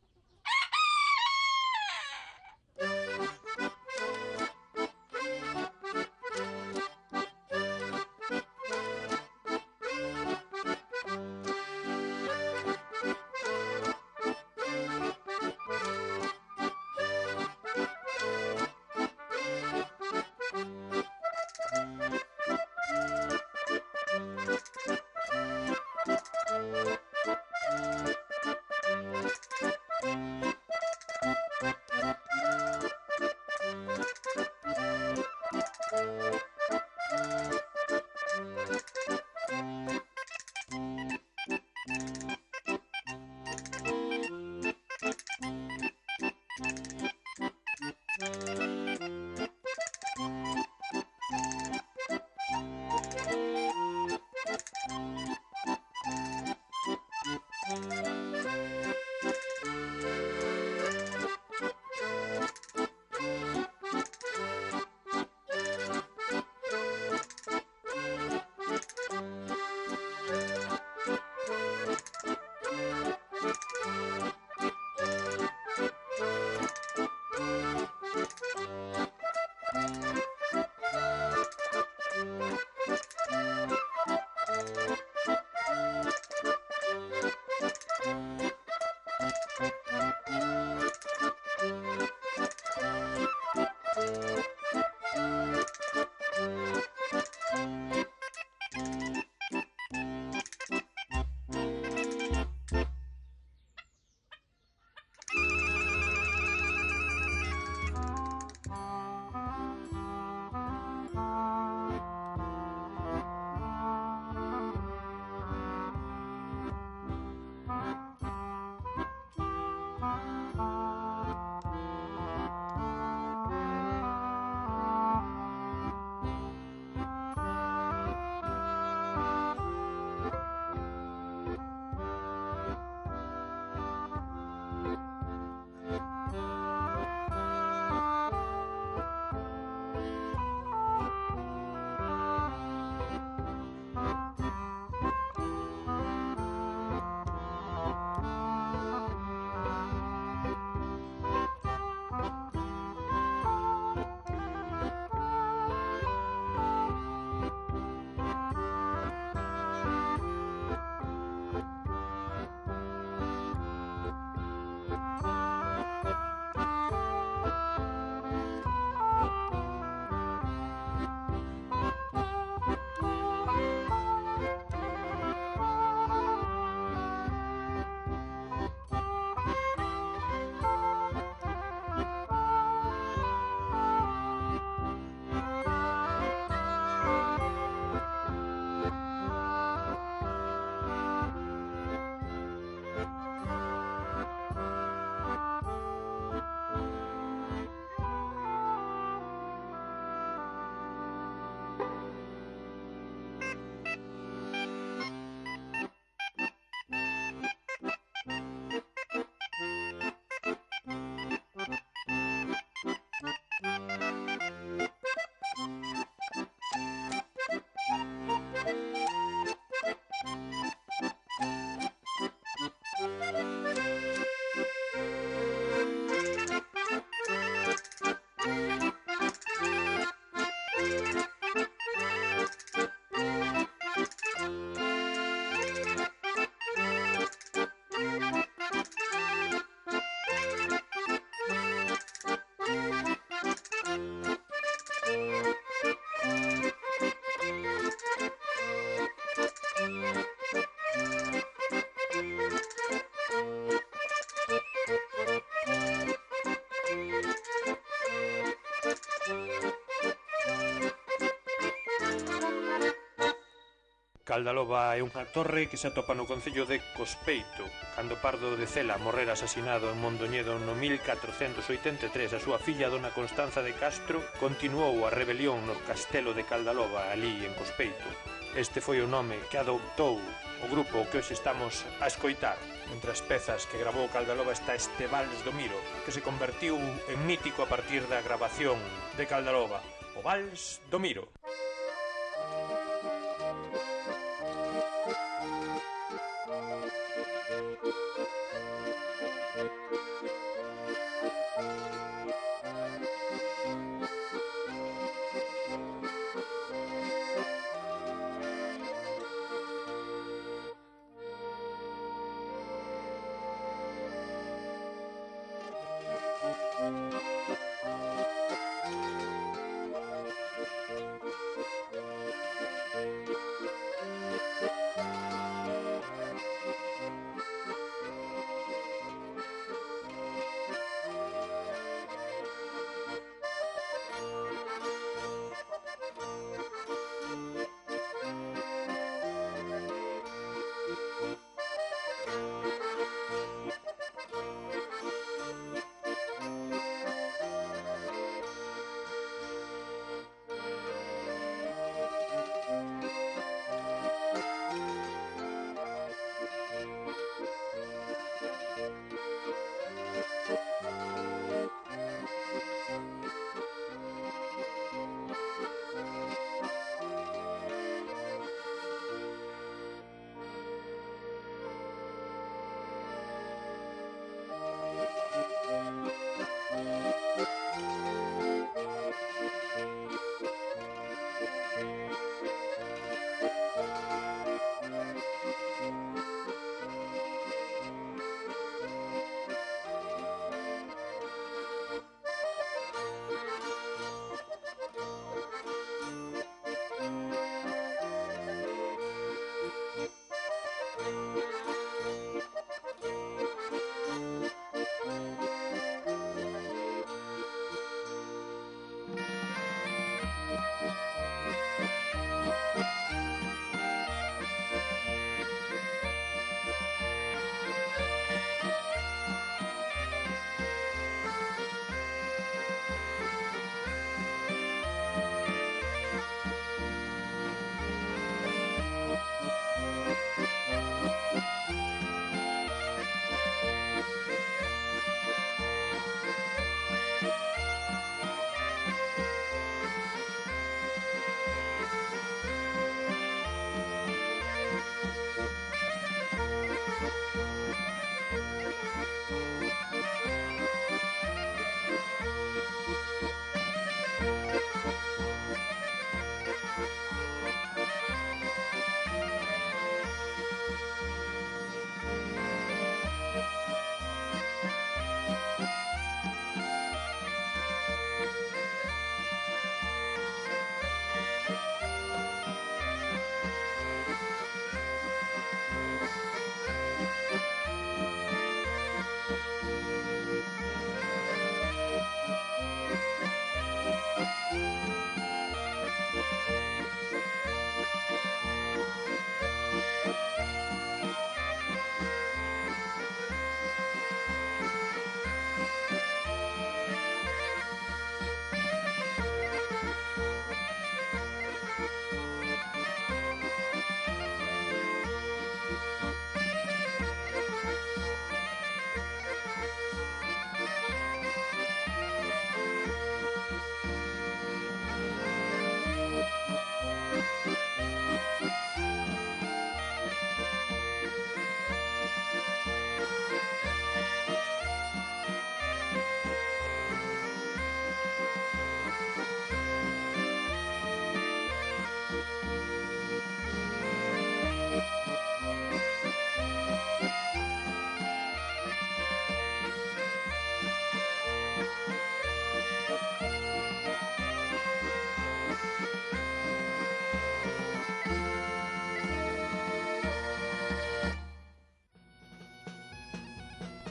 Caldaloba é unha torre que se atopa no concello de Cospeito. Cando Pardo de Cela morrera asasinado en Mondoñedo no mil catrocentos oitenta e tres, a súa filla Dona Constanza de Castro continuou a rebelión no castelo de Caldaloba, ali en Cospeito. Este foi o nome que adoptou o grupo que hoxe estamos a escoitar. Entre as pezas que grabou Caldaloba está este Vals do Miro, que se convertiu en mítico a partir da grabación de Caldaloba, o Vals do Miro.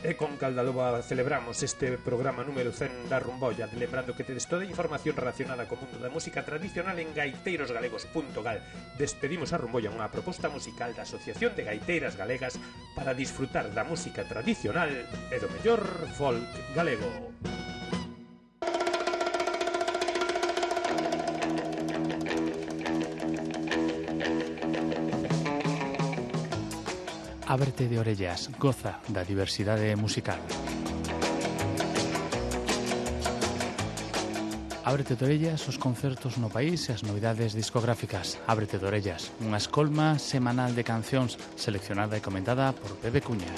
E con Caldaloba celebramos este programa número cen da Rumbolla, lembrando que tedes toda a información relacionada co mundo da música tradicional en gaiteiros galegos punto gal. Despedimos a Rumbolla, unha proposta musical da Asociación de Gaiteiras Galegas para disfrutar da música tradicional e do mellor folk galego.
Ábrete de orellas, goza da diversidade musical. Ábrete de orellas os concertos no país e as novidades discográficas. Ábrete de orellas, unha escolma semanal de cancións seleccionada e comentada por Pepe Cuña.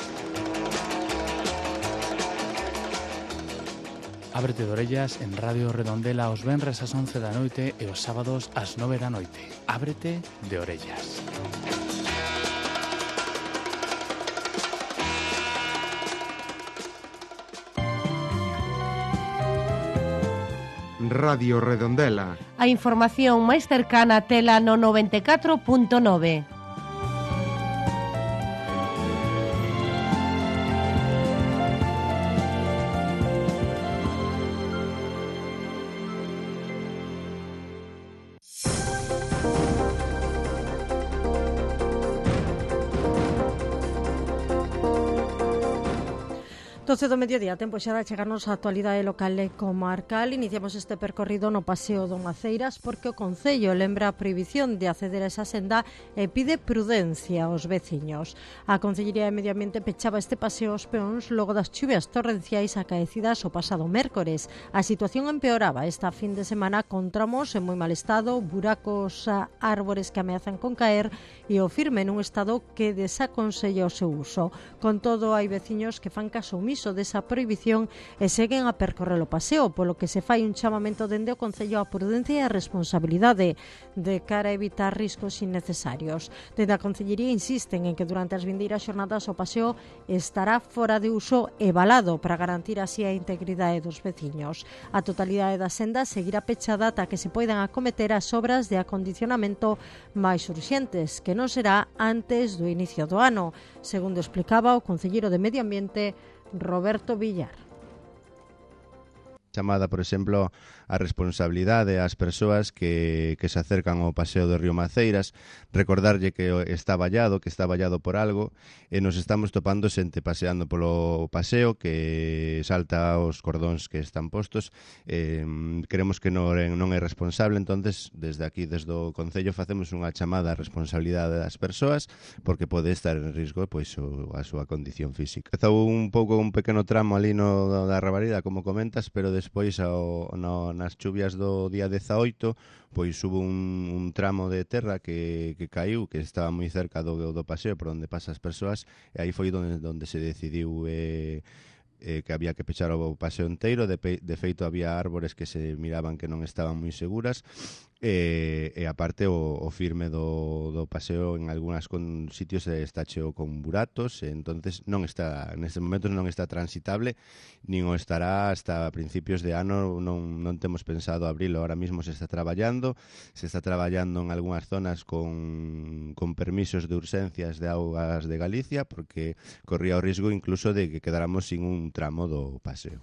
Ábrete de orellas en Radio Redondela os venres ás once da noite e os sábados ás nove da noite. Ábrete de orellas.
Radio Redondela.
A información máis cercana tela no noventa e catro punto nove.
doce do mediodía, tempo xa de chegarnos a actualidade local e comarcal. Iniciamos este percorrido no Paseo do Maceiras porque o Concello lembra a prohibición de acceder a esa senda e pide prudencia aos veciños. A Concellería de Medio Ambiente pechaba este paseo aos peóns logo das chuvias torrenciais acaecidas o pasado mércores. A situación empeoraba esta fin de semana con tramos en moi mal estado, buracos, árbores que ameazan con caer e o firme nun estado que desaconsella o seu uso. Con todo, hai veciños que fan caso omiso desa prohibición e seguen a percorrer o paseo, polo que se fai un chamamento dende o Concello á prudencia e a responsabilidade de cara a evitar riscos innecesarios. Dende a Concellería insisten en que durante as vindeiras xornadas o paseo estará fora de uso e valado para garantir así a integridade dos veciños. A totalidade da senda seguirá pechada ata que se poidan acometer as obras de acondicionamento máis urxentes, que non será antes do inicio do ano, segundo explicaba o concelleiro de Medio Ambiente Roberto Villar.
Chamada, por exemplo, a responsabilidade ás persoas que, que se acercan ao paseo do río Maceiras, recordarlle que está vallado, que está vallado por algo, e nos estamos topando xente paseando polo paseo que salta os cordóns que están postos. Eh, creemos que non, non é responsable, entonces desde aquí, desde o Concello, facemos unha chamada á responsabilidade das persoas, porque pode estar en risco pois, o, a súa condición física. Empezou un pouco un pequeno tramo ali no da Rabarida, como comentas, pero despois ao, no, nas chuvias do día dezaoito pois hubo un, un tramo de terra que, que caiu, que estaba moi cerca do, do paseo por onde pasan as persoas, e aí foi onde, onde se decidiu eh, eh, que había que pechar o paseo inteiro. De, pe, de feito había árbores que se miraban que non estaban moi seguras, e, e aparte o, o firme do, do paseo en algúnas con sitios está cheo con buratos, e entonces non está, nestes momentos non está transitable, nin o estará hasta principios de ano. Non, non temos pensado abrilo, ahora mismo se está traballando, se está traballando en algúnas zonas con, con permisos de urxencias de augas de Galicia, porque corría o risco incluso de que quedáramos sin un tramo do paseo.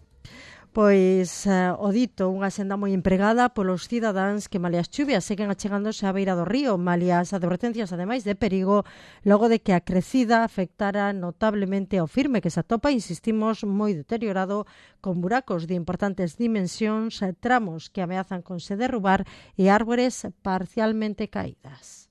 Pois uh, o dito, unha senda moi empregada polos cidadáns que malia as chuvias seguen achegándose á beira do río, malia as advertencias ademais de perigo, logo de que a crecida afectara notablemente ao firme que se atopa, insistimos, moi deteriorado, con buracos de importantes dimensións, tramos que ameazan con se derrubar e árbores parcialmente caídas.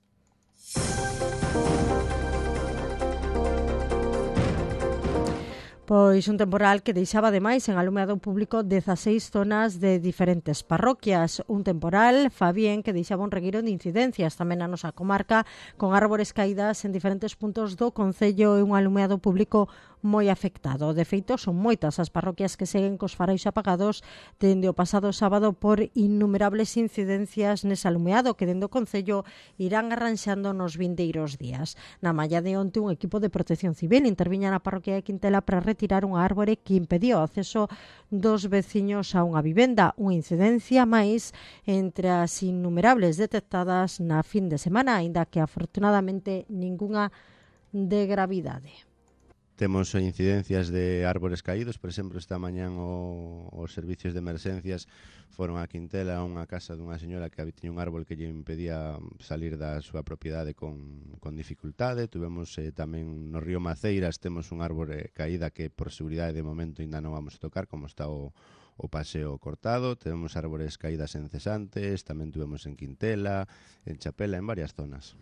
Pois un temporal que deixaba ademais en alumeado público dezaseis zonas de diferentes parroquias. Un temporal, Fabien, que deixaba un regueiro de incidencias tamén na nosa comarca, con árbores caídas en diferentes puntos do concello e un alumeado público moi afectado. De feito, son moitas as parroquias que seguen cos faróis apagados dende o pasado sábado por innumerables incidencias nese alumeado que dende o concello irán arranxando nos vindeiros días. Na malla de onte, un equipo de protección civil interviña na parroquia de Quintela para retirar unha árbore que impedía o acceso dos veciños a unha vivenda, unha incidencia máis entre as innumerables detectadas na fin de semana, aínda que afortunadamente ningunha de gravidade.
temos incidencias de árbores caídos. Por exemplo, esta mañán o, os servicios de emerxencias foron a Quintela, a unha casa dunha señora que tiña un árbol que lle impedía salir da súa propiedade con, con dificultade. Tuvemos eh, tamén no río Maceiras, temos un árbore caída que por seguridade de momento ainda non vamos a tocar, como está o o paseo cortado. Temos árbores caídas en Cesantes, tamén tuvemos en Quintela, en Chapela, en varias zonas.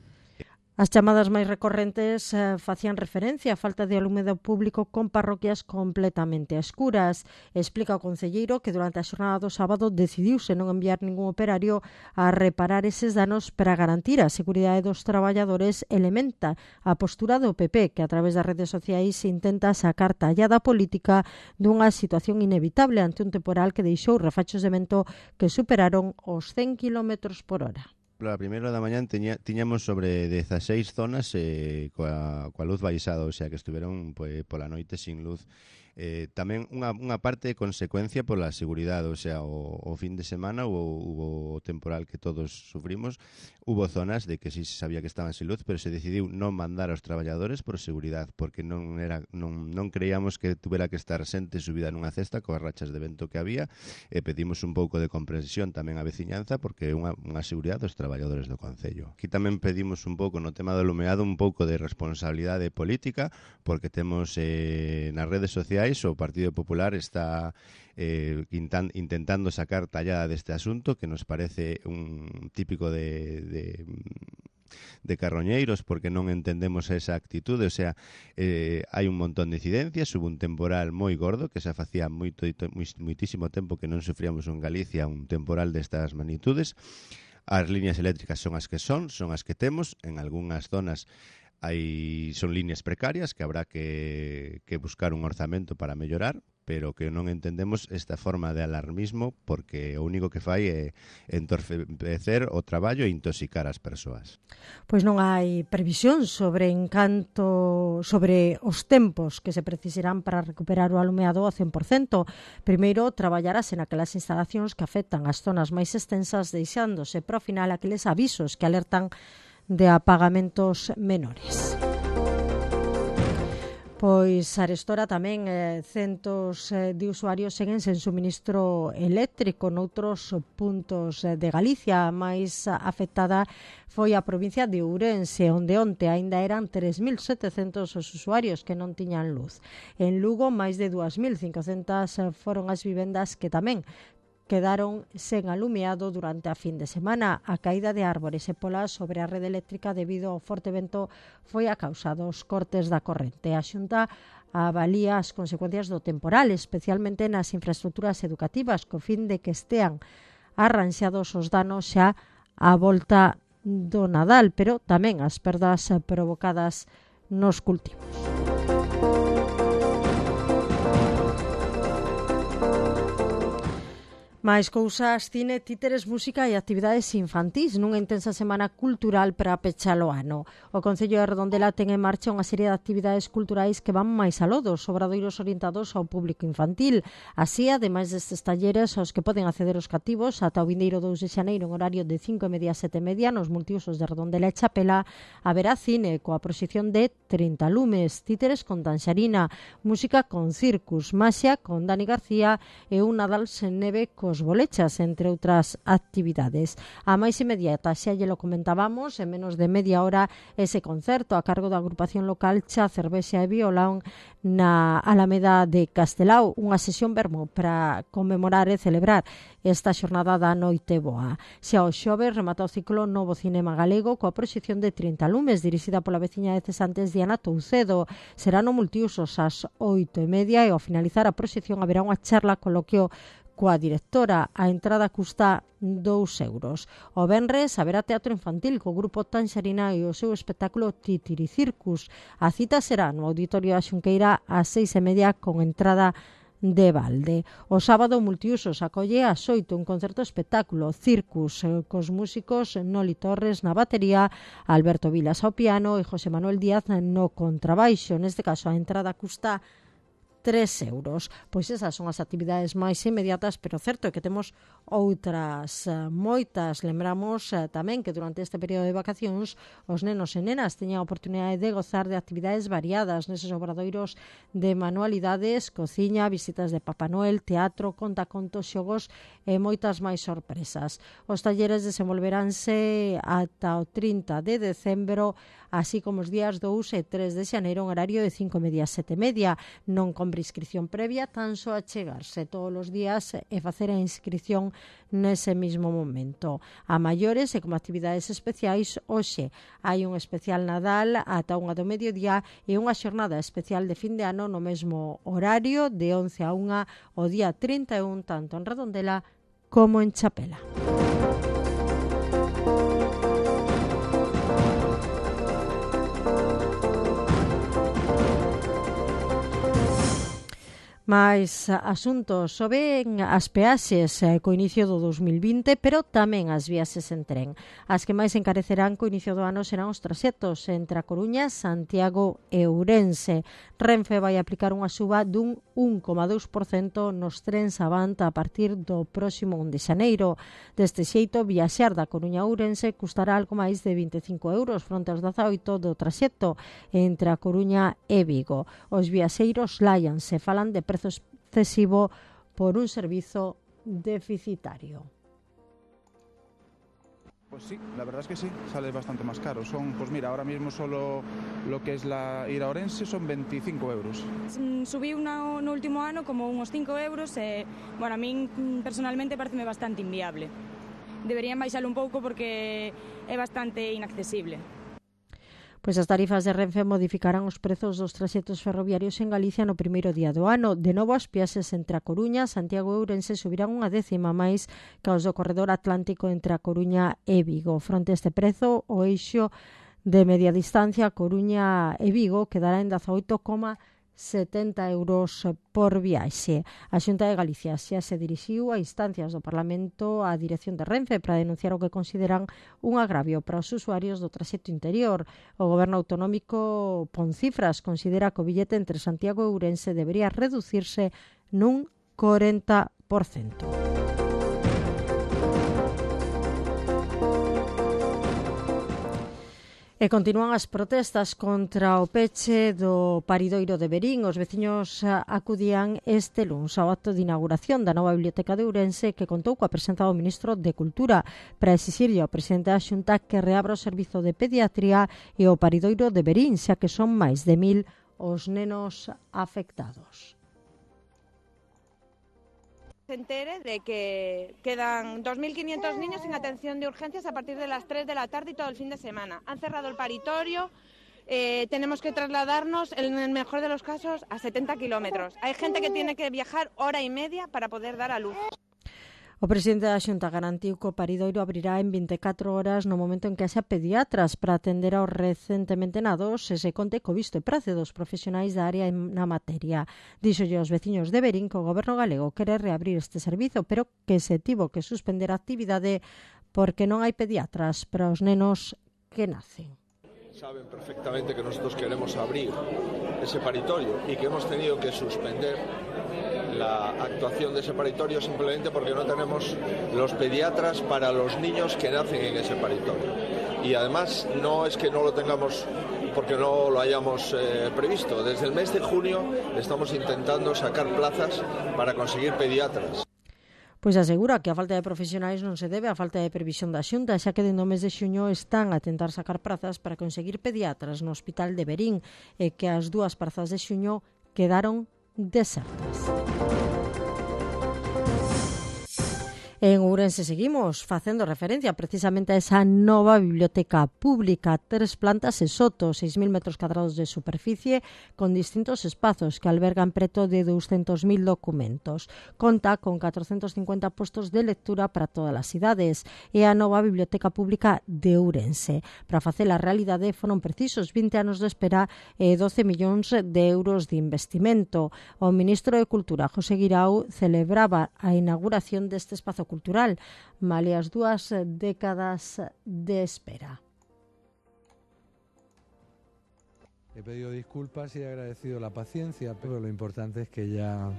As chamadas máis recorrentes eh, facían referencia á falta de alumbrado público con parroquias completamente a escuras. Explica o concelleiro que durante a xornada do sábado decidiuse non enviar ningún operario a reparar eses danos para garantir a seguridade dos traballadores. Elementa a postura do P P, que a través das redes sociais intenta sacar tallada política dunha situación inevitable ante un temporal que deixou refachos de vento que superaron os cen kilómetros por hora.
A primeira da mañán teña, tiñamos sobre dezaseis zonas eh, coa, coa luz baixada, o sea que estiveron pues, pola noite sin luz. Eh, tamén unha, unha parte de consecuencia pola seguridade, o sea, o, o fin de semana hubo, hubo o temporal que todos sufrimos, hubo zonas de que sí se sabía que estaban sin luz, pero se decidiu non mandar aos traballadores por seguridade, porque non era non, non creíamos que tuvera que estar xente subida nunha cesta coas rachas de vento que había, e pedimos un pouco de comprensión tamén á veciñanza, porque é unha, unha seguridade dos traballadores do Concello. Aquí tamén pedimos un pouco no tema do alumeado un pouco de responsabilidade política, porque temos eh, nas redes sociais o Partido Popular está eh, intan, intentando sacar tallada deste asunto, que nos parece un típico de, de, de carroñeiros, porque non entendemos esa actitude. O sea, eh, hai un montón de incidencias, hubo un temporal moi gordo, que xa facía moito, moitísimo tempo que non sufríamos en Galicia un temporal destas magnitudes. As líneas eléctricas son as que son, son as que temos, en algunhas zonas hai son líneas precarias que habrá que, que buscar un orzamento para mellorar, pero que non entendemos esta forma de alarmismo, porque o único que fai é entorpecer o traballo e intoxicar as persoas.
Pois non hai previsión sobre encanto sobre os tempos que se precisarán para recuperar o alumeado ao cen por cento. Primeiro, traballarase naquelas instalacións que afectan as zonas máis extensas, deixándose para o final aqueles avisos que alertan de apagamentos menores. Pois arestora tamén eh, centos eh, de usuarios seguen sen suministro eléctrico noutros puntos eh, de Galicia. A máis afectada foi a provincia de Ourense, onde onte aínda eran tres mil setecentos os usuarios que non tiñan luz. En Lugo, máis de dúas mil cincocentas foron as vivendas que tamén quedaron sen alumeado durante a fin de semana. A caída de árbores e polas sobre a rede eléctrica debido ao forte vento foi a causa dos cortes da corrente. A Xunta avalía as consecuencias do temporal, especialmente nas infraestructuras educativas, co fin de que estean arranxados os danos xa á volta do Nadal, pero tamén as perdas provocadas nos cultivos. Máis cousas, cine, títeres, música e actividades infantís nunha intensa semana cultural para pechar o ano. O Concello de Redondela ten en marcha unha serie de actividades culturais que van máis aló dos obradoiros orientados ao público infantil. Así, ademais destes talleres aos que poden acceder os cativos ata o vindeiro dous de xaneiro en horario de cinco e media a sete e media nos multiusos de Redondela e Chapela, haberá cine coa proxección de trinta lumes, títeres con Tanxarina, música con Circus, maxia con Dani García e un Nadal sen neve cos bolechas, entre outras actividades. A máis inmediata, xa lle lo comentábamos, en menos de media hora ese concerto a cargo da agrupación local Cha, Cervexa e Violón na Alameda de Castelao, unha sesión vermo para conmemorar e celebrar esta xornada da Noite Boa. Xa o xoves remata o ciclo Novo Cinema Galego coa proxección de trinta lumes dirixida pola veciña de Cesantes Diana Toucedo. Será no multiusos ás oito e media e ao finalizar a proxección haberá unha charla coloquio coa directora. A entrada custa dous euros. O venres haberá teatro infantil co grupo Tanxarina e o seu espectáculo Titiri Circus. A cita será no Auditorio da Xunqueira ás seis e media con entrada de balde. O sábado multiusos acolle ás oito un concerto espectáculo Circus cos músicos Noli Torres na batería, Alberto Vilas ao piano e José Manuel Díaz no contrabaixo. Neste caso a entrada custa tres euros. Pois esas son as actividades máis inmediatas, pero certo é que temos outras moitas. Lembramos tamén que durante este período de vacacións os nenos e nenas teñan a oportunidade de gozar de actividades variadas neses obradoiros de manualidades, cociña, visitas de Papá Noel, teatro, contacontos, xogos e moitas máis sorpresas. Os talleres desenvolveránse ata o trinta de decembro, así como os días dous e tres de xaneiro en horario de cinco e media a sete e media. Non compre inscripción previa, tan só achegarse todos os días e facer a inscripción nese mismo momento. A maiores e como actividades especiais, hoxe hai un especial Nadal ata unha do mediodía e unha xornada especial de fin de ano no mesmo horario de once a unha o día trinta e un, tanto en Redondela como en Chapela. Mais asuntos soben as peaxes eh, co inicio do dos mil vinte, pero tamén as viaxes en tren. As que máis encarecerán co inicio do ano serán os traxectos entre a Coruña, Santiago e Ourense. Renfe vai aplicar unha suba dun un coma dous por cento nos trens Avanta a partir do próximo un de xaneiro. Deste xeito, viaxar da Coruña a Ourense custará algo máis de vinte e cinco euros fronte aos dezaoito do traxecto entre a Coruña e Vigo. Os viaxeiros láianse, falan de prezo excesivo por un servizo deficitario.
Pues sí, la verdad es que sí, sale bastante más caro. Son, pues mira, ahora mismo solo lo que es la ir a Orense son veinticinco euros.
Subí una, no último ano como unos cinco euros e, bueno, a mí personalmente pareceme bastante inviable. Deberían baixalo un pouco porque é bastante inaccesible.
Pois as tarifas de Renfe modificarán os prezos dos traxectos ferroviarios en Galicia no primeiro día do ano. De novo, as peaxes entre a Coruña, Santiago e Ourense subirán unha décima máis que os do corredor atlántico entre a Coruña e Vigo. Fronte a este prezo, o eixo de media distancia Coruña e Vigo quedará en dezaoito coma setenta euros por viaxe. A Xunta de Galicia xa se dirixiu a instancias do Parlamento á dirección de Renfe para denunciar o que consideran un agravio para os usuarios do traxecto interior. O Goberno autonómico pon cifras, considera que o billete entre Santiago e Ourense debería reducirse nun corenta por cento. E continúan as protestas contra o peche do paridoiro de Verín. Os veciños acudían este luns ao acto de inauguración da nova biblioteca de Ourense, que contou coa presenza do ministro de Cultura para exixirlle ao presidente da Xunta que reabra o servizo de pediatría e o paridoiro de Verín, xa que son máis de mil os nenos afectados.
Se entere de que quedan dos mil quinientos niños sin atención de urgencias a partir de las tres de la tarde y todo el fin de semana. Han cerrado el paritorio, eh, tenemos que trasladarnos, en el mejor de los casos, a setenta kilómetros. Hay gente que tiene que viajar hora y media para poder dar a luz.
O presidente da Xunta garantiu que o paridoiro abrirá en vinte e catro horas no momento en que haxa pediatras para atender aos recentemente nados e se conte co visto e prace dos profesionais da área na materia. Díxolle aos veciños de Verín que o goberno galego quere reabrir este servizo, pero que se tivo que suspender a actividade porque non hai pediatras para os nenos que nacen.
Saben perfectamente que nosotros queremos abrir ese paritorio y que hemos tenido que suspender la actuación de ese paritorio simplemente porque no tenemos los pediatras para los niños que nacen en ese paritorio. Y además no es que no lo tengamos porque no lo hayamos eh, previsto. Desde el mes de junio estamos intentando sacar plazas para conseguir pediatras.
Pois asegura que a falta de profesionais non se debe á falta de previsión da Xunta, xa que dende o mes de xuño están a tentar sacar prazas para conseguir pediatras no Hospital de Verín e que as dúas prazas de xuño quedaron desertas. En Ourense seguimos facendo referencia precisamente a esa nova biblioteca pública, tres plantas e soto, seis mil metros cadrados de superficie, con distintos espazos que albergan preto de douscentos mil documentos. Conta con catrocentos cincuenta postos de lectura para todas as idades. É a nova biblioteca pública de Ourense. Para facela a realidade foron precisos vinte anos de espera e doce millóns de euros de investimento. O ministro de Cultura, José Guirao, celebraba a inauguración deste espazo cultural, male as dúas décadas de espera.
He pedido disculpas y he agradecido la paciencia, pero lo importante es que ya,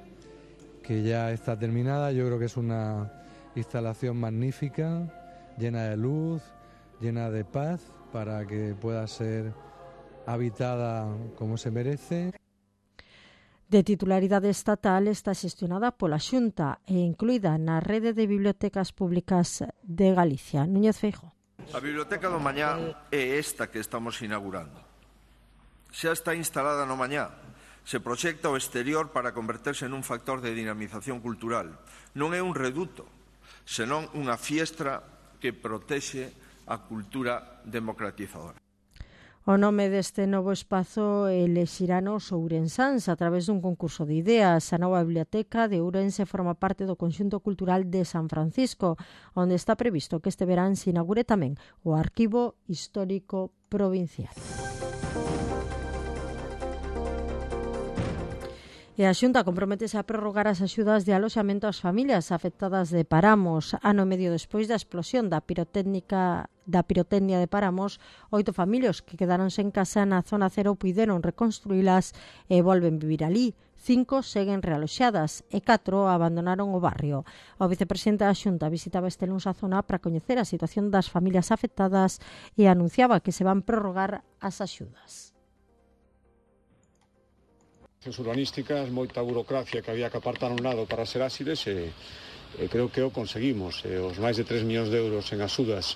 que ya está terminada. Yo creo que es una instalación magnífica, llena de luz, llena de paz, para que pueda ser habitada como se merece.
De titularidade estatal, está xestionada pola Xunta e incluída na rede de bibliotecas públicas de Galicia. Núñez Feijóo.
A Biblioteca do Mañá é esta que estamos inaugurando. Xa está instalada no Mañá. Se proxecta o exterior para converterse nun factor de dinamización cultural. Non é un reduto, senón unha fiestra que protexe a cultura democratizadora.
O nome deste novo espazo elexirano os ourensáns a través dun concurso de ideas. A nova biblioteca de Ourense forma parte do conxunto cultural de San Francisco, onde está previsto que este verán se inaugure tamén o Arquivo Histórico Provincial. E a Xunta comprométese a prorrogar as axudas de aloxamento ás familias afectadas de Paramos. Ano e medio despois da explosión da pirotécnica da pirotecnia de Paramos, oito familias que quedaron sen casa na zona cero puideron reconstruílas e volven vivir ali. Cinco seguen realoxadas e catro abandonaron o barrio. O vicepresidente da Xunta visitaba este luns a zona para coñecer a situación das familias afectadas e anunciaba que se van prorrogar as axudas.
Urbanísticas, moita burocracia que había que apartar a un lado para ser áxiles e, e creo que o conseguimos. E os máis de tres millóns de euros en axudas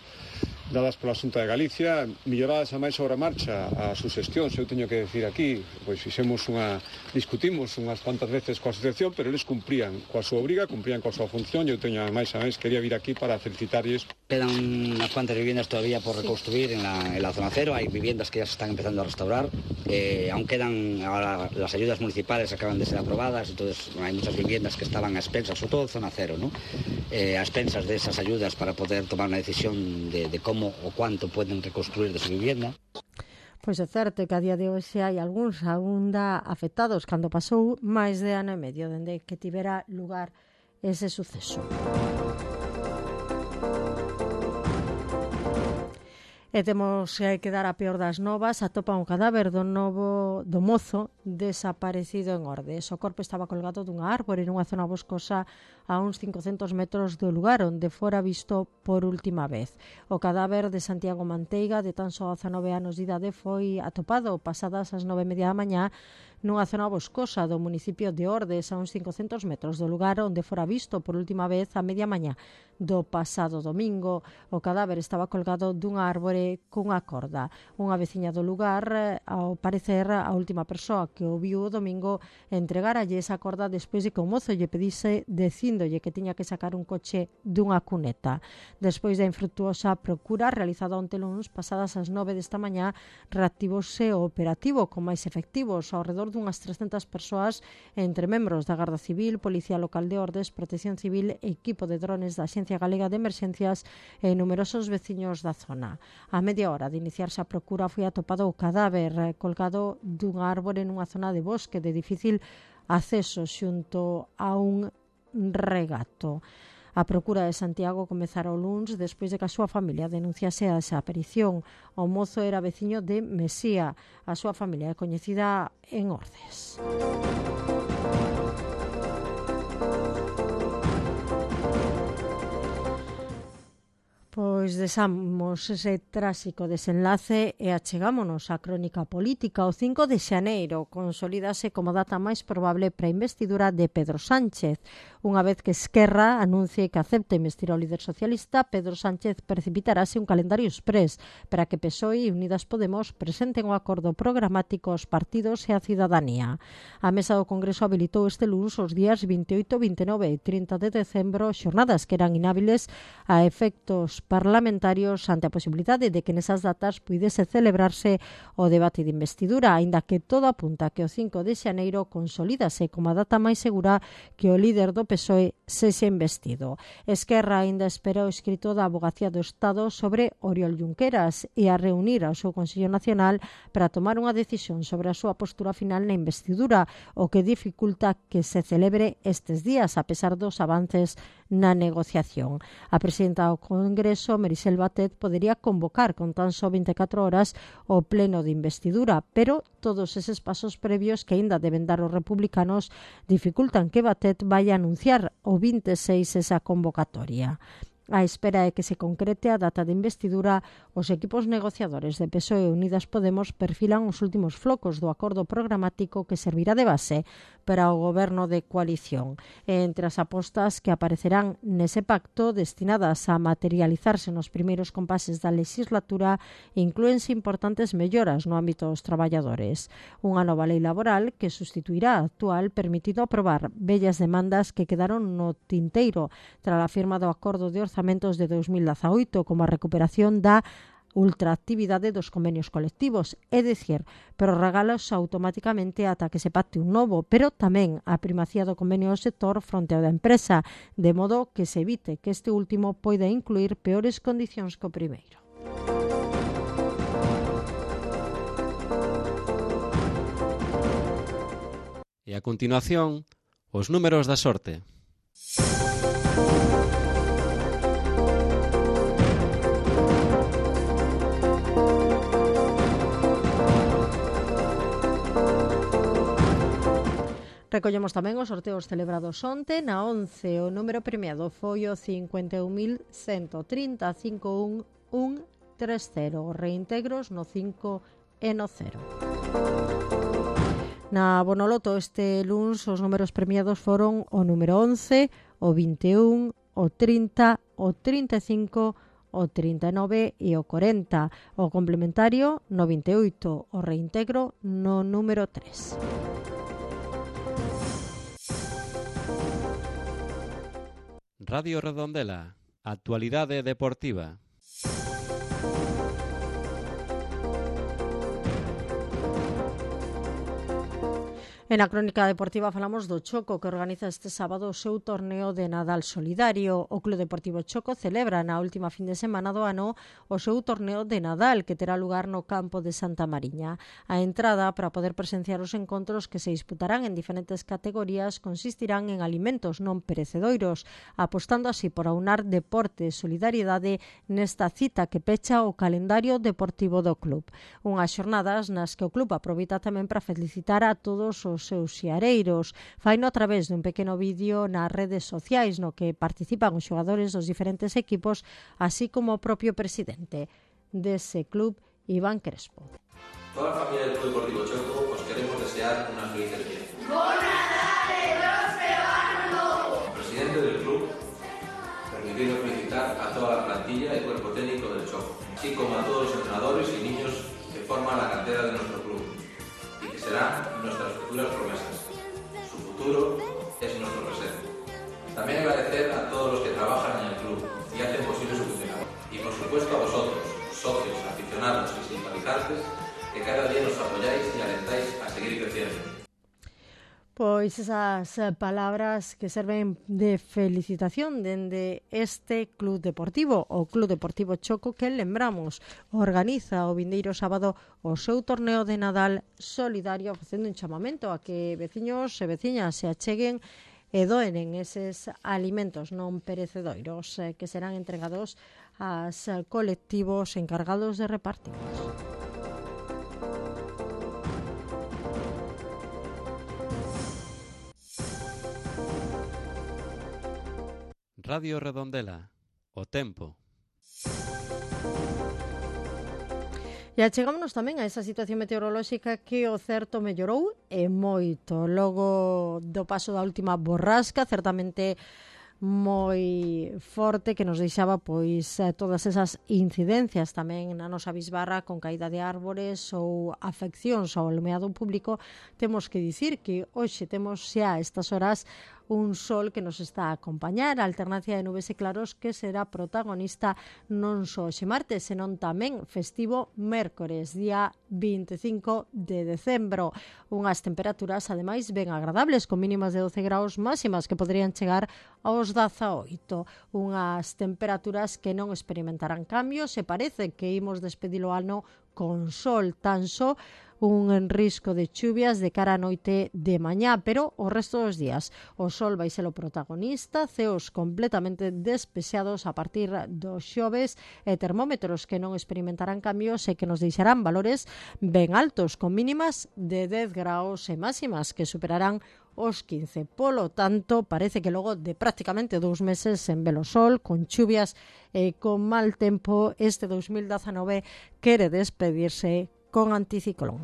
dadas pola Xunta de Galicia, melloradas a máis sobre a marcha a suxestións, eu teño que decir aquí, pois fixemos unha, discutimos unhas cuantas veces coa asociación, pero eles cumprían coa súa obriga, cumprían coa súa función, eu teño máis a máis, quería vir aquí para felicitarles.
Quedan unas cuantas viviendas todavía por reconstruir en la, en la zona cero, hay viviendas que ya se están empezando a restaurar, eh, aún quedan, ahora las ayudas municipales acaban de ser aprobadas, entonces hay muchas viviendas que estaban a expensas, sobre todo zona cero, ¿no? Eh, a expensas de esas ayudas para poder tomar una decisión de, de cómo o cuánto pueden reconstruir de su vivienda.
Pois é certo que a día de hoxe hai algúns aínda afectados cando pasou máis de ano e medio dende que tivera lugar ese suceso. E temos que dar a peor das novas. Atopan o cadáver do novo do mozo desaparecido en Ordes. O corpo estaba colgado dunha árbore nunha zona boscosa a uns cincocentos metros do lugar onde fora visto por última vez. O cadáver de Santiago Manteiga, de tan só dezanove anos de idade, foi atopado pasadas as nove e media da mañá nunha zona boscosa do municipio de Ordes, a uns cincocentos metros do lugar onde fora visto por última vez a media mañá do pasado domingo. O cadáver estaba colgado dunha árbore cunha corda. Unha veciña do lugar, ao parecer, a última persoa que o viu o domingo, entregaralle esa corda despois de que o mozo lle pedise dicíndolle que tiña que sacar un coche dunha cuneta. Despois da infrutuosa procura realizada onte luns, pasadas as nove desta mañá, reactivose o operativo con máis efectivos, ao redor dunhas trescentas persoas, entre membros da Garda Civil, Policía Local de Ordes, Protección Civil, equipo de drones da Axencia Galega de Emerxencias e numerosos veciños da zona. A media hora de iniciarse a procura foi atopado o cadáver colgado dunha árbore nunha zona de bosque de difícil acceso xunto a un regato. A procura de Santiago comezara o luns despois de que a súa familia denunciase a desaparición. O mozo era veciño de Mesía. A súa familia é coñecida en Ordes. Pois desamos ese tráxico desenlace e achegámonos á crónica política. O cinco de xaneiro consolídase como data máis probable para a investidura de Pedro Sánchez. Unha vez que Esquerra anuncie que acepta investir ao líder socialista, Pedro Sánchez precipitarase un calendario exprés para que P S O E e Unidas Podemos presenten o acordo programático aos partidos e a cidadanía. A mesa do Congreso habilitou este luns os días vinte e oito, vinte e nove e trinta de decembro, xornadas que eran inhábiles a efectos parlamentarios ante a posibilidade de que nesas datas puidese celebrarse o debate de investidura, aínda que todo apunta que o cinco de xaneiro consolídase como a data máis segura que o líder do P S O E sexa investido. Esquerra aínda espera o escrito da Avogacía do Estado sobre Oriol Junqueras e a reunir ao seu Consello Nacional para tomar unha decisión sobre a súa postura final na investidura, o que dificulta que se celebre estes días, a pesar dos avances na negociación. A presidenta do Congreso, Merisel Batet, podería convocar con tan só vinte e catro horas o pleno de investidura, pero todos eses pasos previos que aínda deben dar os republicanos dificultan que Batet vaya a anunciar o vinte e seis esa convocatoria. A espera é que se concrete a data de investidura, os equipos negociadores de P S O E e Unidas Podemos perfilan os últimos flocos do acordo programático que servirá de base para o goberno de coalición. Entre as apostas que aparecerán nese pacto destinadas a materializarse nos primeiros compases da legislatura inclúense importantes melloras no ámbito dos traballadores. Unha nova lei laboral que sustituirá a actual permitido aprobar vellas demandas que quedaron no tinteiro tras a firma do acordo de orzamentos de dos mil dezaoito, como a recuperación da ultraactividade dos convenios colectivos, é dicir, prorrogalos automáticamente ata que se pacte un novo, pero tamén a primacía do convenio do sector fronte ao da empresa, de modo que se evite que este último poida incluir peores condicións que o primeiro.
E a continuación, os números da sorte.
Recollemos tamén os sorteos celebrados onte. Na once, o número premiado foi o cincuenta e un mil ciento trinta, cinco un un tres cero. Reintegros no cinco e no cero. Na Bonoloto este luns os números premiados foron o número once, o vinte e un, o trinta, o trinta e cinco, o trinta e nove e o corenta. O complementario no vinte e oito, o reintegro no número tres.
Radio Redondela, actualidade deportiva.
En a crónica deportiva falamos do Choco, que organiza este sábado o seu torneo de Nadal solidario. O Club Deportivo Choco celebra na última fin de semana do ano o seu torneo de Nadal, que terá lugar no campo de Santa Mariña. A entrada para poder presenciar os encontros que se disputarán en diferentes categorías consistirán en alimentos non perecedoiros, apostando así por aunar deporte e solidariedade nesta cita que pecha o calendario deportivo do club. Unhas xornadas nas que o club aproveita tamén para felicitar a todos os seus xiareiros. Faino a través dun pequeno vídeo nas redes sociais no que participan os xogadores dos diferentes equipos, así como o propio presidente dese club, Iván Crespo.
Toda a familia del Club Deportivo Choco os queremos desear unas felices fiestas.
¡Bon Nadal y próspero año nuevo!
Presidente del club, permitido felicitar a toda la plantilla y cuerpo técnico del Choco, así como a todos los entrenadores y niños que forman la cantera de nuestro club y que serán nuestras futuras promesas. Su futuro es nuestro presente. También agradecer a todos los que trabajan en el club y hacen posible su funcionamiento. Y por supuesto a vosotros, socios, aficionados y simpatizantes, que cada día nos apoyáis y alentáis a seguir creciendo.
Pois esas palabras que serven de felicitación dende este club deportivo, o Club Deportivo Choco, que lembramos organiza o vindeiro sábado o seu torneo de Nadal solidario, facendo un chamamento a que veciños e veciñas se acheguen e doen eses alimentos non perecedoiros eh, que serán entregados aos colectivos encargados de repartirlos.
Radio Redondela, o tempo.
E achegámonos tamén a esa situación meteorolóxica que o certo mellorou e moito. Logo do paso da última borrasca, certamente moi forte, que nos deixaba pois todas esas incidencias tamén na nosa bisbarra con caída de árbores ou afeccións ao alumeado público. Temos que dicir que hoxe temos xa a estas horas un sol que nos está a acompañar, a alternancia de nubes e claros que será protagonista non só hoxe martes, senón tamén festivo mércores, día vinte e cinco de decembro. Unhas temperaturas, ademais, ben agradables, con mínimas de doce graus, máximas que poderían chegar aos dezaoito. Unhas temperaturas que non experimentarán cambios, e parece que imos despedir o ano con sol, tan só un risco de chuvias de cara a noite de mañá, pero o resto dos días o sol vai ser o protagonista, ceos completamente despexados a partir do xoves e termómetros que non experimentarán cambios e que nos deixarán valores ben altos, con mínimas de dez graus e máximas que superarán os quince. Polo tanto, parece que logo de prácticamente dous meses en velo sol, con chuvias e con mal tempo, este dos mil dezanove quere despedirse con anticiclón.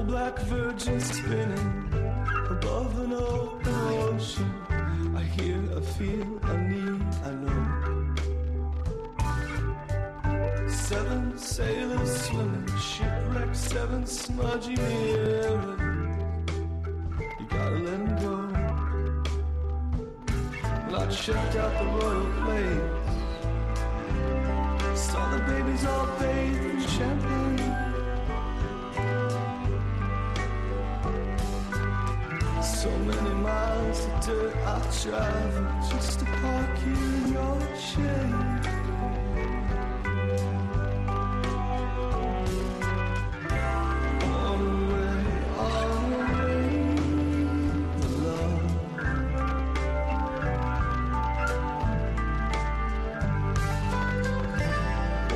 Black virgin spinning above an open ocean. I hear, I feel, I need, I know. Seven sailors swimming, shipwrecked, seven smudgy mirrors. You gotta let them go. Well, I checked out the royal place. Saw the babies all bathed in champagne. So many miles of dirt I travel just to park you in your shade. On the way, on the way, the love.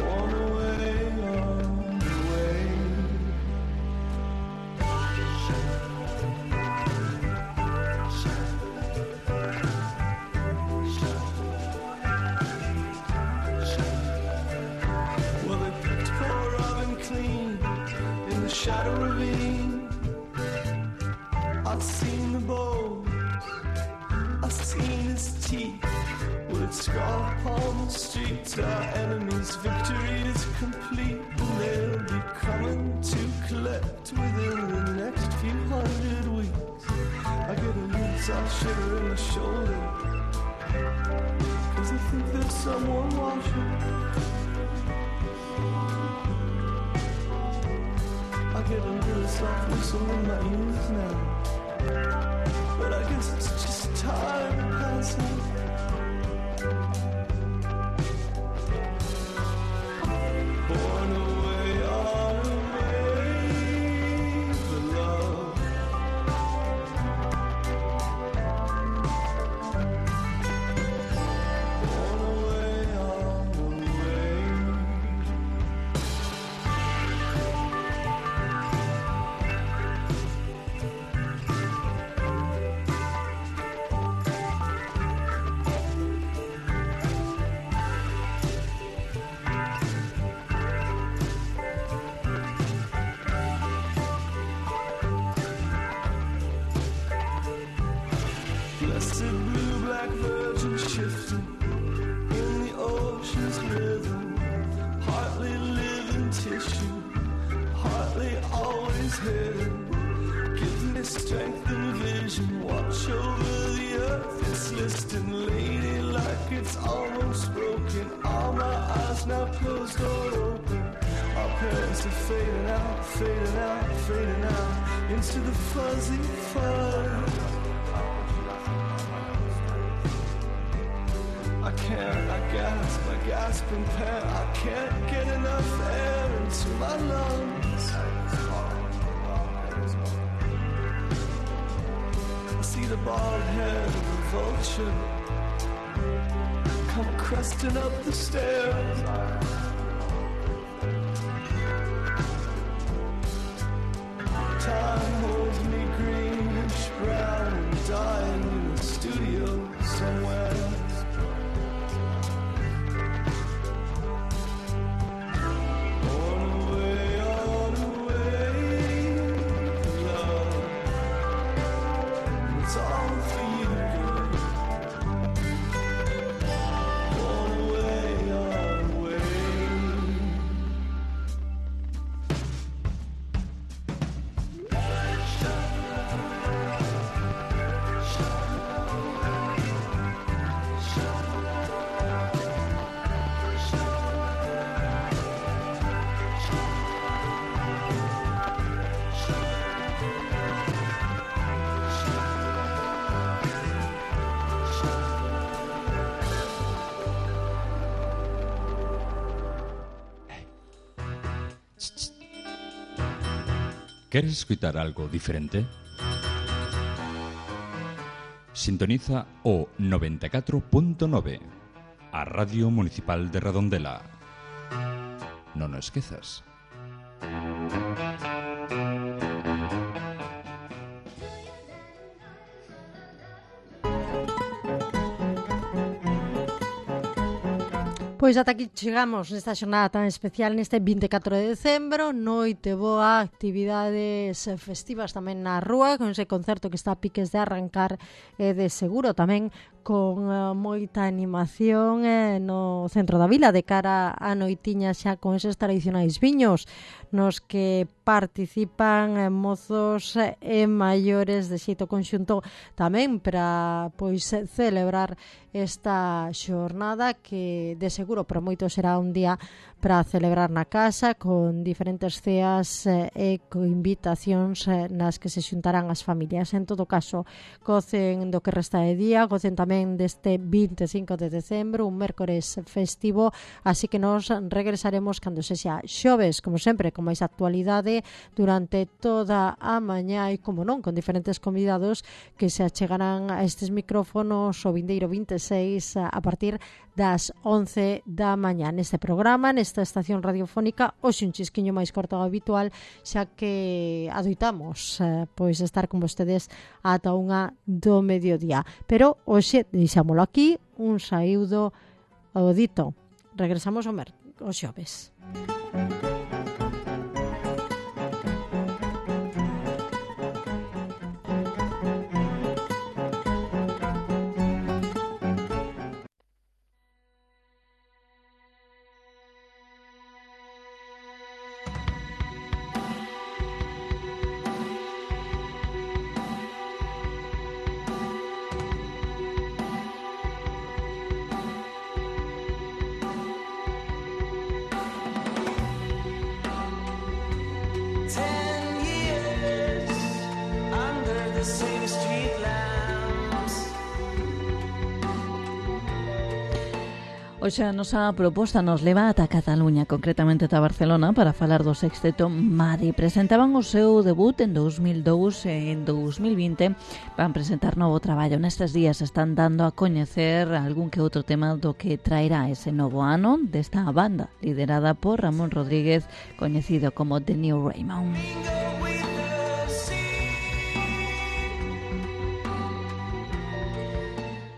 On the way, on the way. Shadow ravine, I've seen the bow, I've seen his teeth. Will it scar upon the streets? Our enemy's victory is complete, and they'll be coming to collect within the next few hundred weeks. I get a little soft shiver in my shoulder, cause I think there's someone watching. I get a little soft whistle in my ears now, but I guess it's just time passing. Born away, on away, the love. Born away, on away. Blessed blue black virgin shifting in the ocean's rhythm, partly living tissue, partly always hidden. Give me strength and vision, watch over the earth, it's listing, lady, like it's almost broken. All my eyes now closed or open. Our parents are fading out, fading out, fading out into the fuzzy fuzz. I can't, I gasp, I gasp and pant. I can't get enough air into my lungs. I see the bald head of a vulture come cresting up the stairs. Time holds me greenish brown and dying in a studio somewhere. It's all for you.
¿Quieres escuchar algo diferente? Sintoniza o noventa e catro punto nove, a Radio Municipal de Redondela. Non o esquezas.
Pois ata aquí chegamos nesta xornada tan especial neste vinte e catro de decembro, noite boa, actividades festivas tamén na rúa, con ese concerto que está a piques de arrancar e de seguro tamén con uh, moita animación eh, no centro da vila de cara a noitiña xa con eses tradicionais viños nos que participan eh, mozos e eh, maiores de xeito conxunto tamén para pois celebrar esta xornada que de seguro para moitos será un día para celebrar na casa con diferentes ceas eh, e con invitacións eh, nas que se xuntarán as familias. En todo caso, gocen do que resta de día, gocen tamén deste vinte e cinco de decembro, un mércores festivo, así que nos regresaremos cando sexa xoves, como sempre, con máis actualidade durante toda a mañá e, como non, con diferentes convidados que se achegarán a estes micrófonos o vindeiro vinte e seis a partir das once da mañá neste programa, nesta estación radiofónica, hoxe un chisquiño máis corto ao habitual, xa que adoitamos eh, pois estar con vostedes ata unha do mediodía. Pero hoxe deixámolo aquí, un saúdo ao dito. Regresamos ao mer, os xoves.
Hoxe a nosa proposta nos leva ata Cataluña, concretamente ata Barcelona, para falar do sexteto Madi. Presentaban o seu debut en dous mil dous e en dous mil vinte van presentar novo traballo. Nestes días están dando a coñecer algún que outro tema do que traerá ese novo ano desta banda, liderada por Ramón Rodríguez, coñecido como The New Raymond.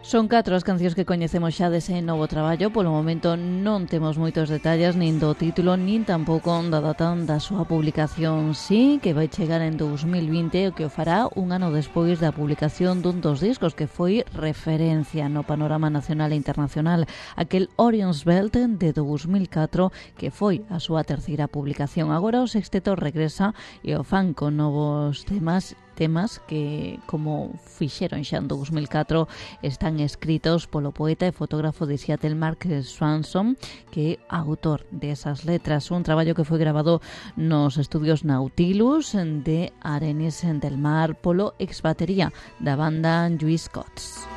Son catro as cancións que coñecemos xa dese novo traballo. Polo momento non temos moitos detalles nin do título, nin tampouco da data da súa publicación. Sí, que vai chegar en dous mil vinte, o que o fará un ano despois da publicación dun dos discos que foi referencia no panorama nacional e internacional, aquel Orion's Belt de dous mil catro, que foi a súa terceira publicación. Agora o sexteto regresa e o fan con novos temas temas que, como fixeron xa en dous mil catro, están escritos polo poeta e fotógrafo de Seattle Mark Swanson, que é autor desas letras. Un traballo que foi grabado nos estudios Nautilus de Arenis del Mar polo ex batería da banda Lluís Cots.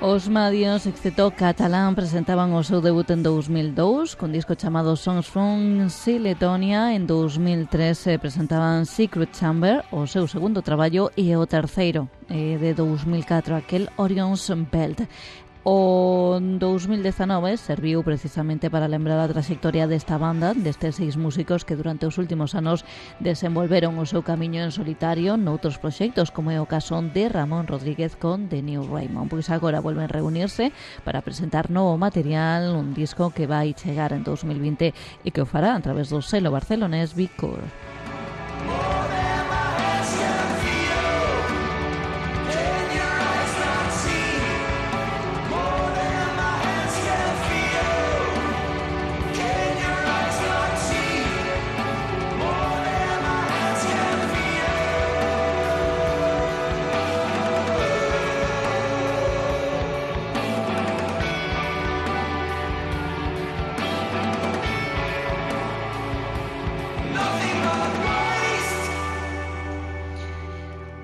Os Madios, excepto catalán, presentaban o seu debut en dous mil dous con disco chamado Songs from Siletonia. En dous mil tres eh, presentaban Secret Chamber, o seu segundo traballo, e o terceiro eh, de dous mil catro, aquel Orion's Belt. O dous mil dezanove serviu precisamente para lembrar a trayectoria desta banda, destes seis músicos que durante os últimos anos desenvolveron o seu camiño en solitario noutros proxectos, como é o caso de Ramón Rodríguez con The New Raymond. Pois agora volven reunirse para presentar novo material, un disco que vai chegar en dous mil vinte e que o fará a través do selo barcelonés Vicor.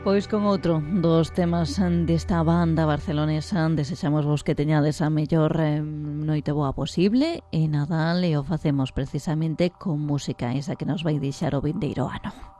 Pois con outro dos temas desta banda barcelonesa, desexamos vos que teñades a mellor eh, noite boa posible e Nadal e o facemos precisamente con música esa que nos vai deixar o vindeiro ano.